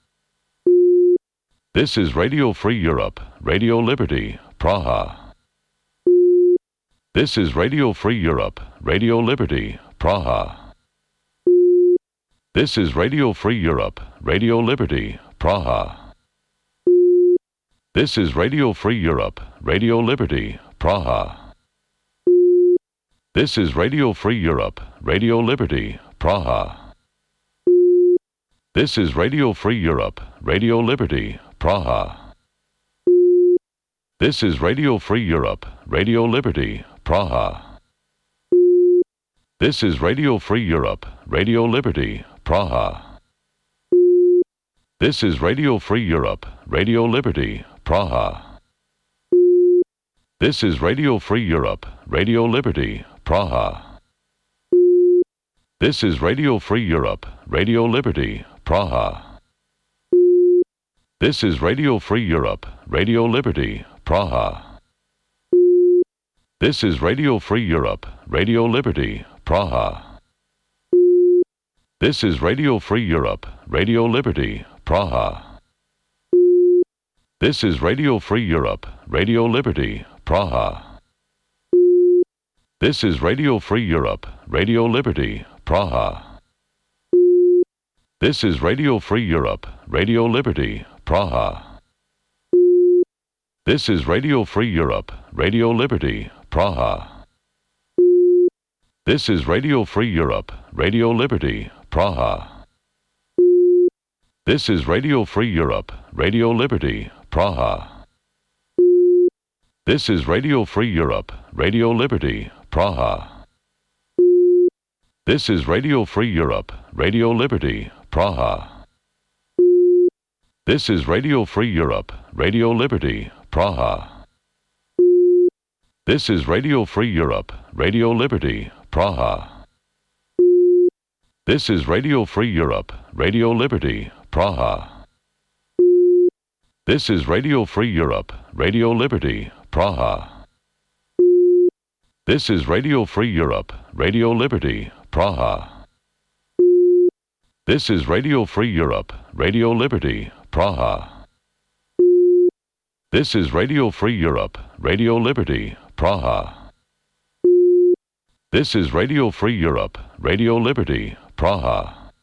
This is Radio Free Europe, Radio Liberty, Praha. This is Radio Free Europe, Radio Liberty, Praha. This is Radio Free Europe, Radio Liberty, Praha. This is Radio Free Europe, Radio Liberty, Praha. This is Radio Free Europe, Radio Liberty, Praha. This is Radio Free Europe, Radio Liberty, Praha. This is Radio Free Europe, Radio Liberty, Praha. This is Radio Free Europe, Radio Liberty, Praha. This is Radio Free Europe, Radio Liberty, Praha. This is Radio Free Europe, Radio Liberty, Praha. This is Radio Free Europe, Radio Liberty, Praha. This is Radio Free Europe, Radio Liberty, Praha. This is Radio Free Europe, Radio Liberty, Praha. This is Radio Free Europe, Radio Liberty, Praha. This is Radio Free Europe, Radio Liberty, Praha. This is Radio Free Europe, Radio Liberty, Praha. This is Radio Free Europe, Radio Liberty, Praha. This is Radio Free Europe, Radio Liberty, Praha. This is Radio Free Europe, Radio Liberty, Praha. This is Radio Free Europe, Radio Liberty, Praha. This is Radio Free Europe, Radio Liberty, Praha. This is Radio Free Europe, Radio Liberty, Praha. This is Radio Free Europe, Radio Liberty, Praha. This is Radio Free Europe, Radio Liberty, Praha. This is Radio Free Europe, Radio Liberty, Praha. This is Radio Free Europe, Radio Liberty, Praha. This is Radio Free Europe, Radio Liberty, Praha. This is Radio Free Europe, Radio Liberty, Praha. This is Radio Free Europe, Radio Liberty, Praha. This is Radio Free Europe, Radio Liberty, Praha.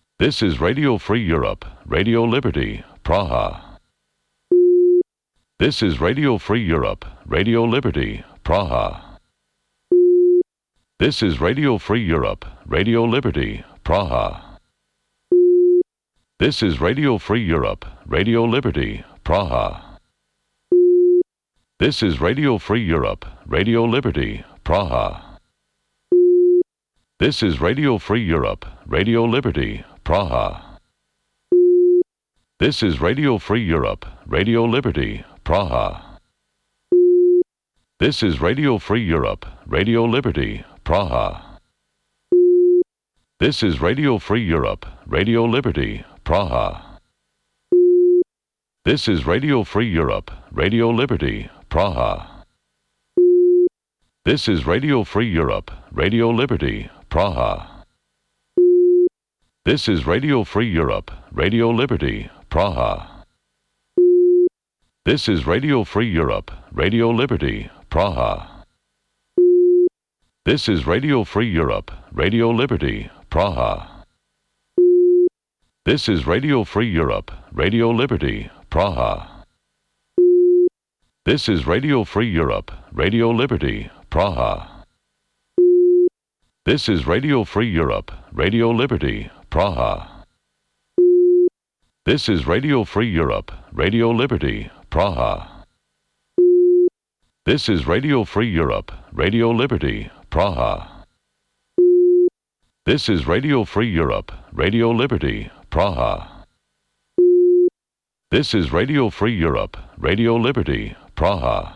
This is Radio Free Europe, Radio Liberty, Praha. This is Radio Free Europe, Radio Liberty, Praha. This is Radio Free Europe, Radio Liberty, Praha. This is Radio Free Europe, Radio Liberty, Praha. This is Radio Free Europe, Radio Liberty, Praha. This is Radio Free Europe, Radio Liberty, Praha. This is Radio Free Europe, Radio Liberty, Praha. This is Radio Free Europe, Radio Liberty, Praha. This is Radio Free Europe, Radio Liberty, Praha. This is Radio Free Europe, Radio Liberty, Praha. This is Radio Free Europe, Radio Liberty, Praha. This is Radio Free Europe, Radio Liberty, Praha. This is Radio Free Europe, Radio Liberty, Praha. This is Radio Free Europe, Radio Liberty, Praha. This is Radio Free Europe, Radio Liberty, Praha. This is Radio Free Europe, Radio Liberty, Praha. This is Radio Free Europe, Radio Liberty, Praha. This is Radio Free Europe, Radio Liberty, Praha. This is Radio Free Europe, Radio Liberty, Praha. This is Radio Free Europe, Radio Liberty, Praha. This is Radio Free Europe, Radio Liberty, Praha.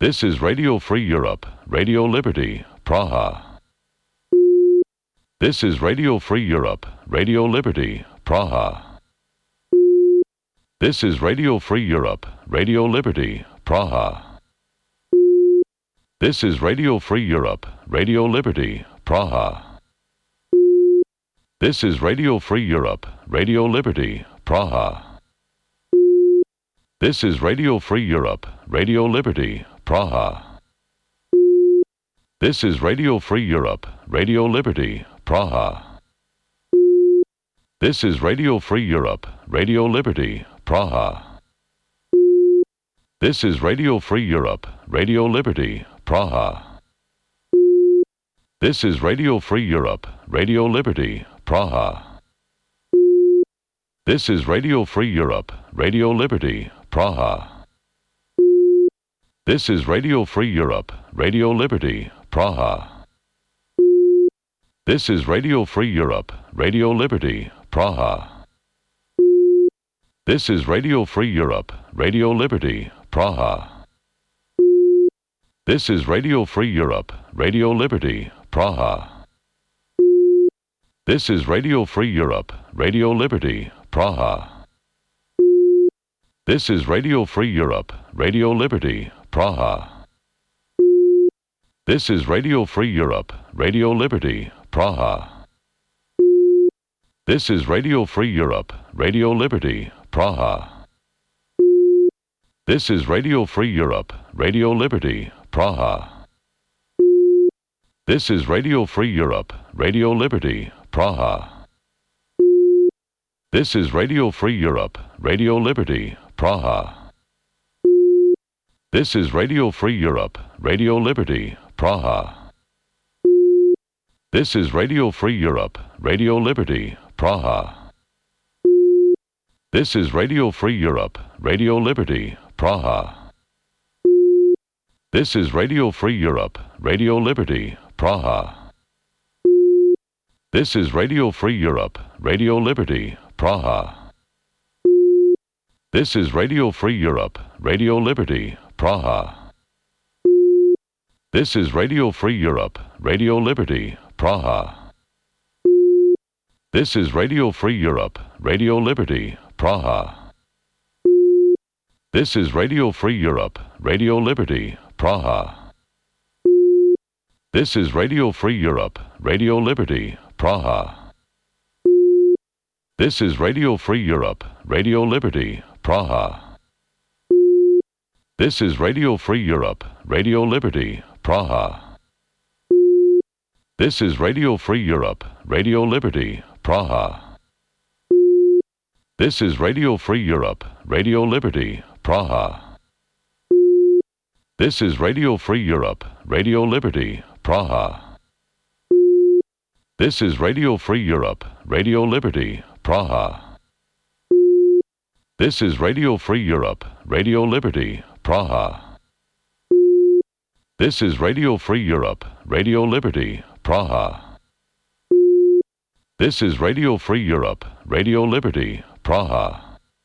This is Radio Free Europe, Radio Liberty, Praha. This is Radio Free Europe, Radio Liberty, Praha. This is Radio Free Europe, Radio Liberty, Praha. This is Radio Free Europe, Radio Liberty, Praha. This is Radio Free Europe, Radio Liberty, Praha. This is Radio Free Europe, Radio Liberty, Praha. This is Radio Free Europe, Radio Liberty, Praha. This is Radio Free Europe, Radio Liberty, Praha. This is Radio Free Europe, Radio Liberty, Praha. This is Radio Free Europe, Radio Liberty, Praha. This is Radio Free Europe, Radio Liberty, Praha. This is Radio Free Europe, Radio Liberty, Praha. This is Radio Free Europe, Radio Liberty, Praha. This is Radio Free Europe, Radio Liberty, Praha. This is Radio Free Europe, Radio Liberty, Praha. This is Radio Free Europe, Radio Liberty, Praha. This is Radio Free Europe, Radio Liberty, Praha. This is Radio Free Europe, Radio Liberty, Praha. This is Radio Free Europe, Radio Liberty, Praha. This is Radio Free Europe, Radio Liberty, Praha. This is Radio Free Europe, Radio Liberty, Praha. This is Radio Free Europe, Radio Liberty, Praha. This is Radio Free Europe, Radio Liberty, Praha. This is Radio Free Europe, Radio Liberty, Praha. This is Radio Free Europe, Radio Liberty, Praha. This is Radio Free Europe, Radio Liberty, Praha. This is Radio Free Europe, Radio Liberty, Praha. This is Radio Free Europe, Radio Liberty, Praha. This is Radio Free Europe, Radio Liberty, Praha. This is Radio Free Europe, Radio Liberty, Praha. This is Radio Free Europe, Radio Liberty, Praha. This is Radio Free Europe, Radio Liberty, Praha. This is Radio Free Europe, Radio Liberty, Praha. This is Radio Free Europe, Radio Liberty, Praha. This is Radio Free Europe, Radio Liberty, Praha. This is Radio Free Europe, Radio Liberty, Praha. This is Radio Free Europe, Radio Liberty, Praha. This is Radio Free Europe, Radio Liberty, Praha. This is Radio Free Europe, Radio Liberty, Praha. This is Radio Free Europe, Radio Liberty, Praha.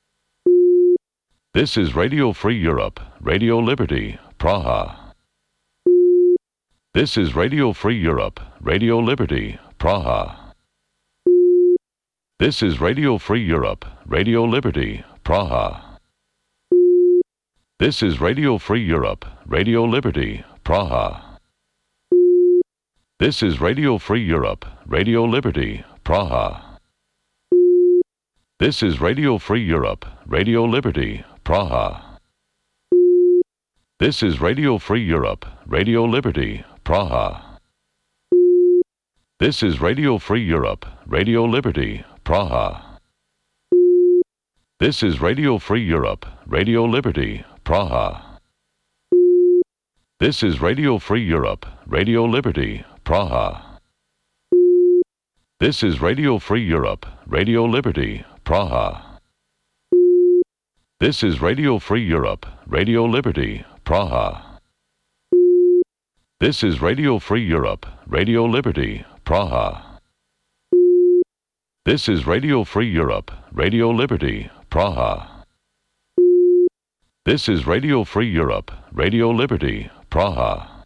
This is Radio Free Europe, Radio Liberty, Praha. This is Radio Free Europe, Radio Liberty, Praha. This is Radio Free Europe, Radio Liberty, Praha. This is Radio Free Europe, Radio Liberty, Praha. This is Radio Free Europe, Radio Liberty, Praha. This is Radio Free Europe, Radio Liberty, Praha. This is Radio Free Europe, Radio Liberty, Praha. This is Radio Free Europe, Radio Liberty, Praha. This is Radio Free Europe, Radio Liberty, Praha. This is Radio Free Europe, Radio Liberty, Praha. This is Radio Free Europe, Radio Liberty, Praha. This is Radio Free Europe, Radio Liberty, Praha. This is Radio Free Europe, Radio Liberty, Praha. This is Radio Free Europe, Radio Liberty, Praha. This is Radio Free Europe, Radio Liberty, Praha. This is Radio Free Europe, Radio Liberty, Praha.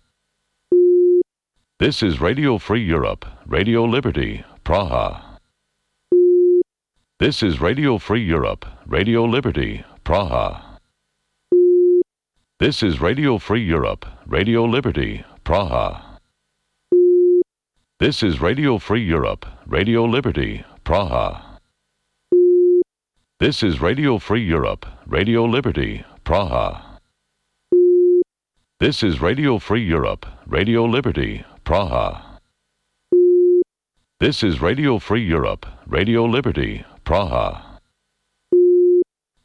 This is Radio Free Europe, Radio Liberty, Praha. This is Radio Free Europe, Radio Liberty, Praha. This is Radio Free Europe, Radio Liberty, Praha. This is Radio Free Europe, Radio Liberty, Praha. This is Radio Free Europe, Radio Liberty, Praha. This is Radio Free Europe, Radio Liberty, Praha. This is Radio Free Europe, Radio Liberty, Praha.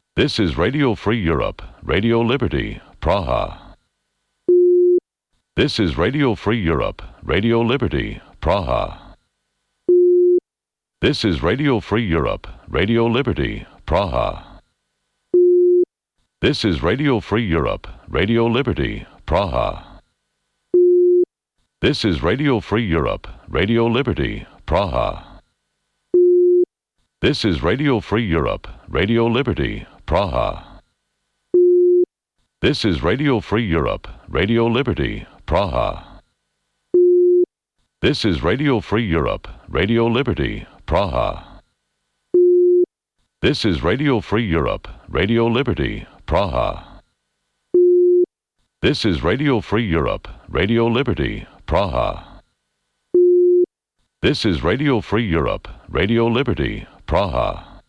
This is Radio Free Europe, Radio Liberty, Praha. This is Radio Free Europe, Radio Liberty, Praha. This is Radio Free Europe, Radio Liberty, Praha. This is Radio Free Europe, Radio Liberty, Praha. This is Radio Free Europe, Radio Liberty, Praha. This is Radio Free Europe, Radio Liberty, Praha. This is Radio Free Europe, Radio Liberty, Praha. This is Radio Free Europe, Radio Liberty, Praha. This is Radio Free Europe, Radio Liberty, Praha. This is Radio Free Europe, Radio Liberty, Praha. This is Radio Free Europe, Radio Liberty, Praha.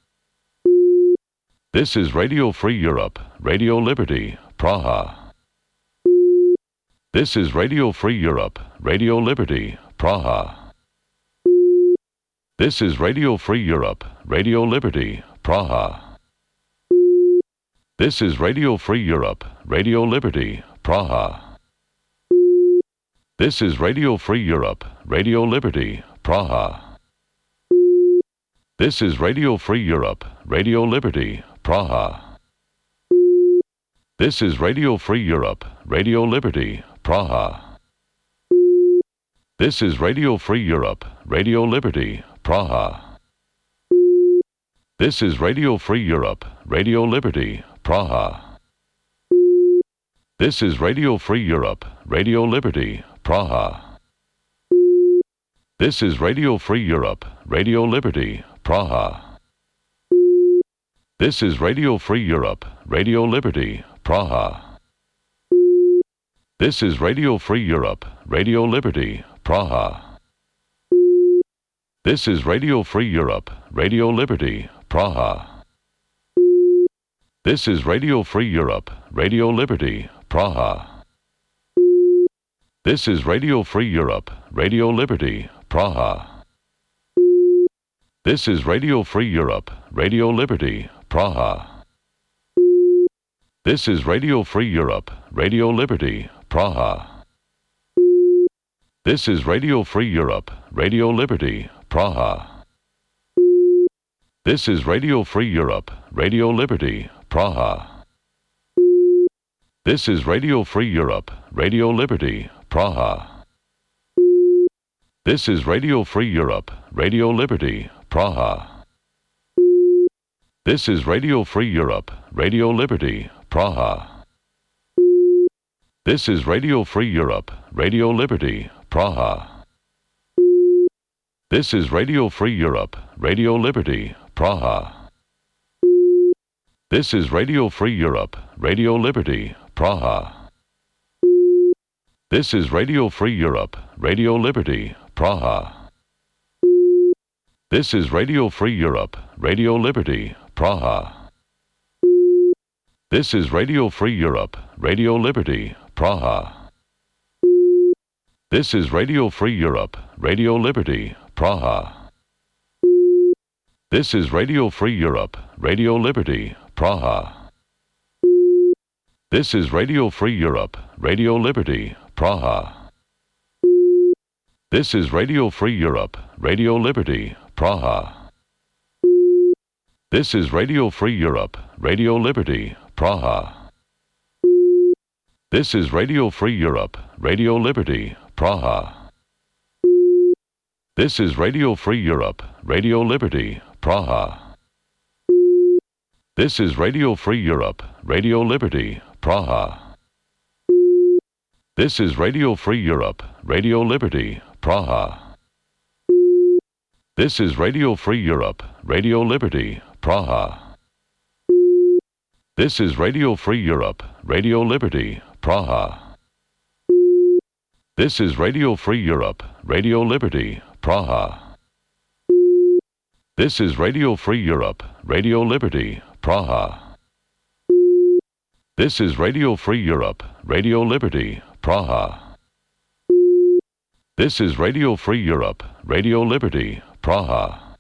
This is Radio Free Europe, Radio Liberty, Praha. This is Radio Free Europe, Radio Liberty, Praha. This is Radio Free Europe, Radio Liberty, Praha. This is Radio Free Europe, Radio Liberty, Praha. This is Radio Free Europe, Radio Liberty, Praha. This is Radio Free Europe, Radio Liberty, Praha. This is Radio Free Europe, Radio Liberty, Praha. This is Radio Free Europe, Radio Liberty, Praha. This is Radio Free Europe, Radio Liberty, Praha. This is Radio Free Europe, Radio Liberty, Praha. This is Radio Free Europe, Radio Liberty, Praha. This is Radio Free Europe, Radio Liberty, Praha. This is Radio Free Europe, Radio Liberty, Praha. This is Radio Free Europe, Radio Liberty, Praha. This is Radio Free Europe, Radio Liberty, Praha. This is Radio Free Europe, Radio Liberty, Praha. This is Radio Free Europe, Radio Liberty, Praha. This is Radio Free Europe, Radio Liberty, Praha. This is Radio Free Europe, Radio Liberty, Praha. This is Radio Free Europe, Radio Liberty, Praha. This is Radio Free Europe, Radio Liberty, Praha. This is Radio Free Europe, Radio Liberty, Praha. This is Radio Free Europe, Radio Liberty, Praha. This is Radio Free Europe, Radio Liberty, Praha. This is Radio Free Europe, Radio Liberty, Praha. This is Radio Free Europe, Radio Liberty, Praha. This is Radio Free Europe, Radio Liberty, Praha. This is Radio Free Europe, Radio Liberty, Praha. This is Radio Free Europe, Radio Liberty, Praha. This is Radio Free Europe, Radio Liberty, Praha. This is Radio Free Europe, Radio Liberty, Praha. This is Radio Free Europe, Radio Liberty, Praha. This is Radio Free Europe, Radio Liberty, Praha. This is Radio Free Europe, Radio Liberty, Praha. This is Radio Free Europe, Radio Liberty, Praha. This is Radio Free Europe, Radio Liberty, Praha. This is Radio Free Europe, Radio Liberty, Praha. This is Radio Free Europe, Radio Liberty, Praha. This is Radio Free Europe, Radio Liberty, Praha. This is Radio Free Europe, Radio Liberty, Praha. This is Radio Free Europe, Radio Liberty, Praha. This is Radio Free Europe, Radio Liberty, Praha. This is Radio Free Europe, Radio Liberty, Praha. This is Radio Free Europe, Radio Liberty, Praha.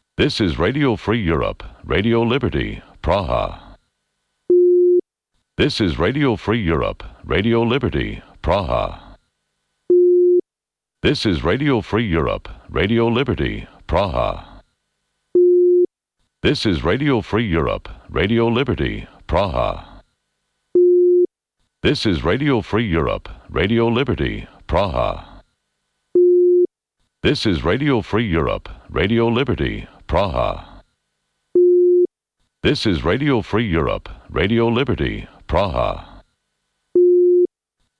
This is Radio Free Europe, Radio Liberty, Praha. This is Radio Free Europe, Radio Liberty, Praha. This is Radio Free Europe, Radio Liberty, Praha. This is Radio Free Europe, Radio Liberty, Praha. This is Radio Free Europe, Radio Liberty, Praha. This is Radio Free Europe, Radio Liberty, Praha. This is Radio Free Europe, Radio Liberty, Praha.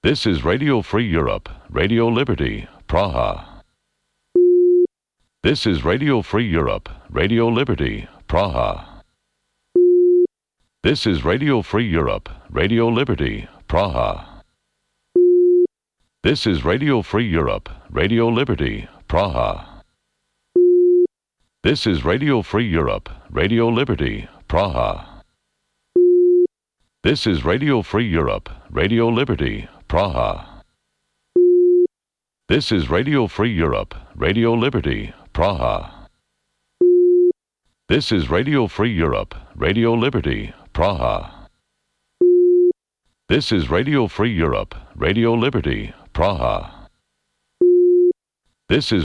This is Radio Free Europe, Radio Liberty, Praha. This is Radio Free Europe, Radio Liberty, Praha. This is Radio Free Europe, Radio Liberty, Praha. This is Radio Free Europe, Radio Liberty, Praha. This is Radio Free Europe, Radio Liberty, Praha. This is Radio Free Europe, Radio Liberty, Praha. This is Radio Free Europe, Radio Liberty, Praha. This is Radio Free Europe, Radio Liberty, Praha. This is Radio Free Europe, Radio Liberty, Praha. This is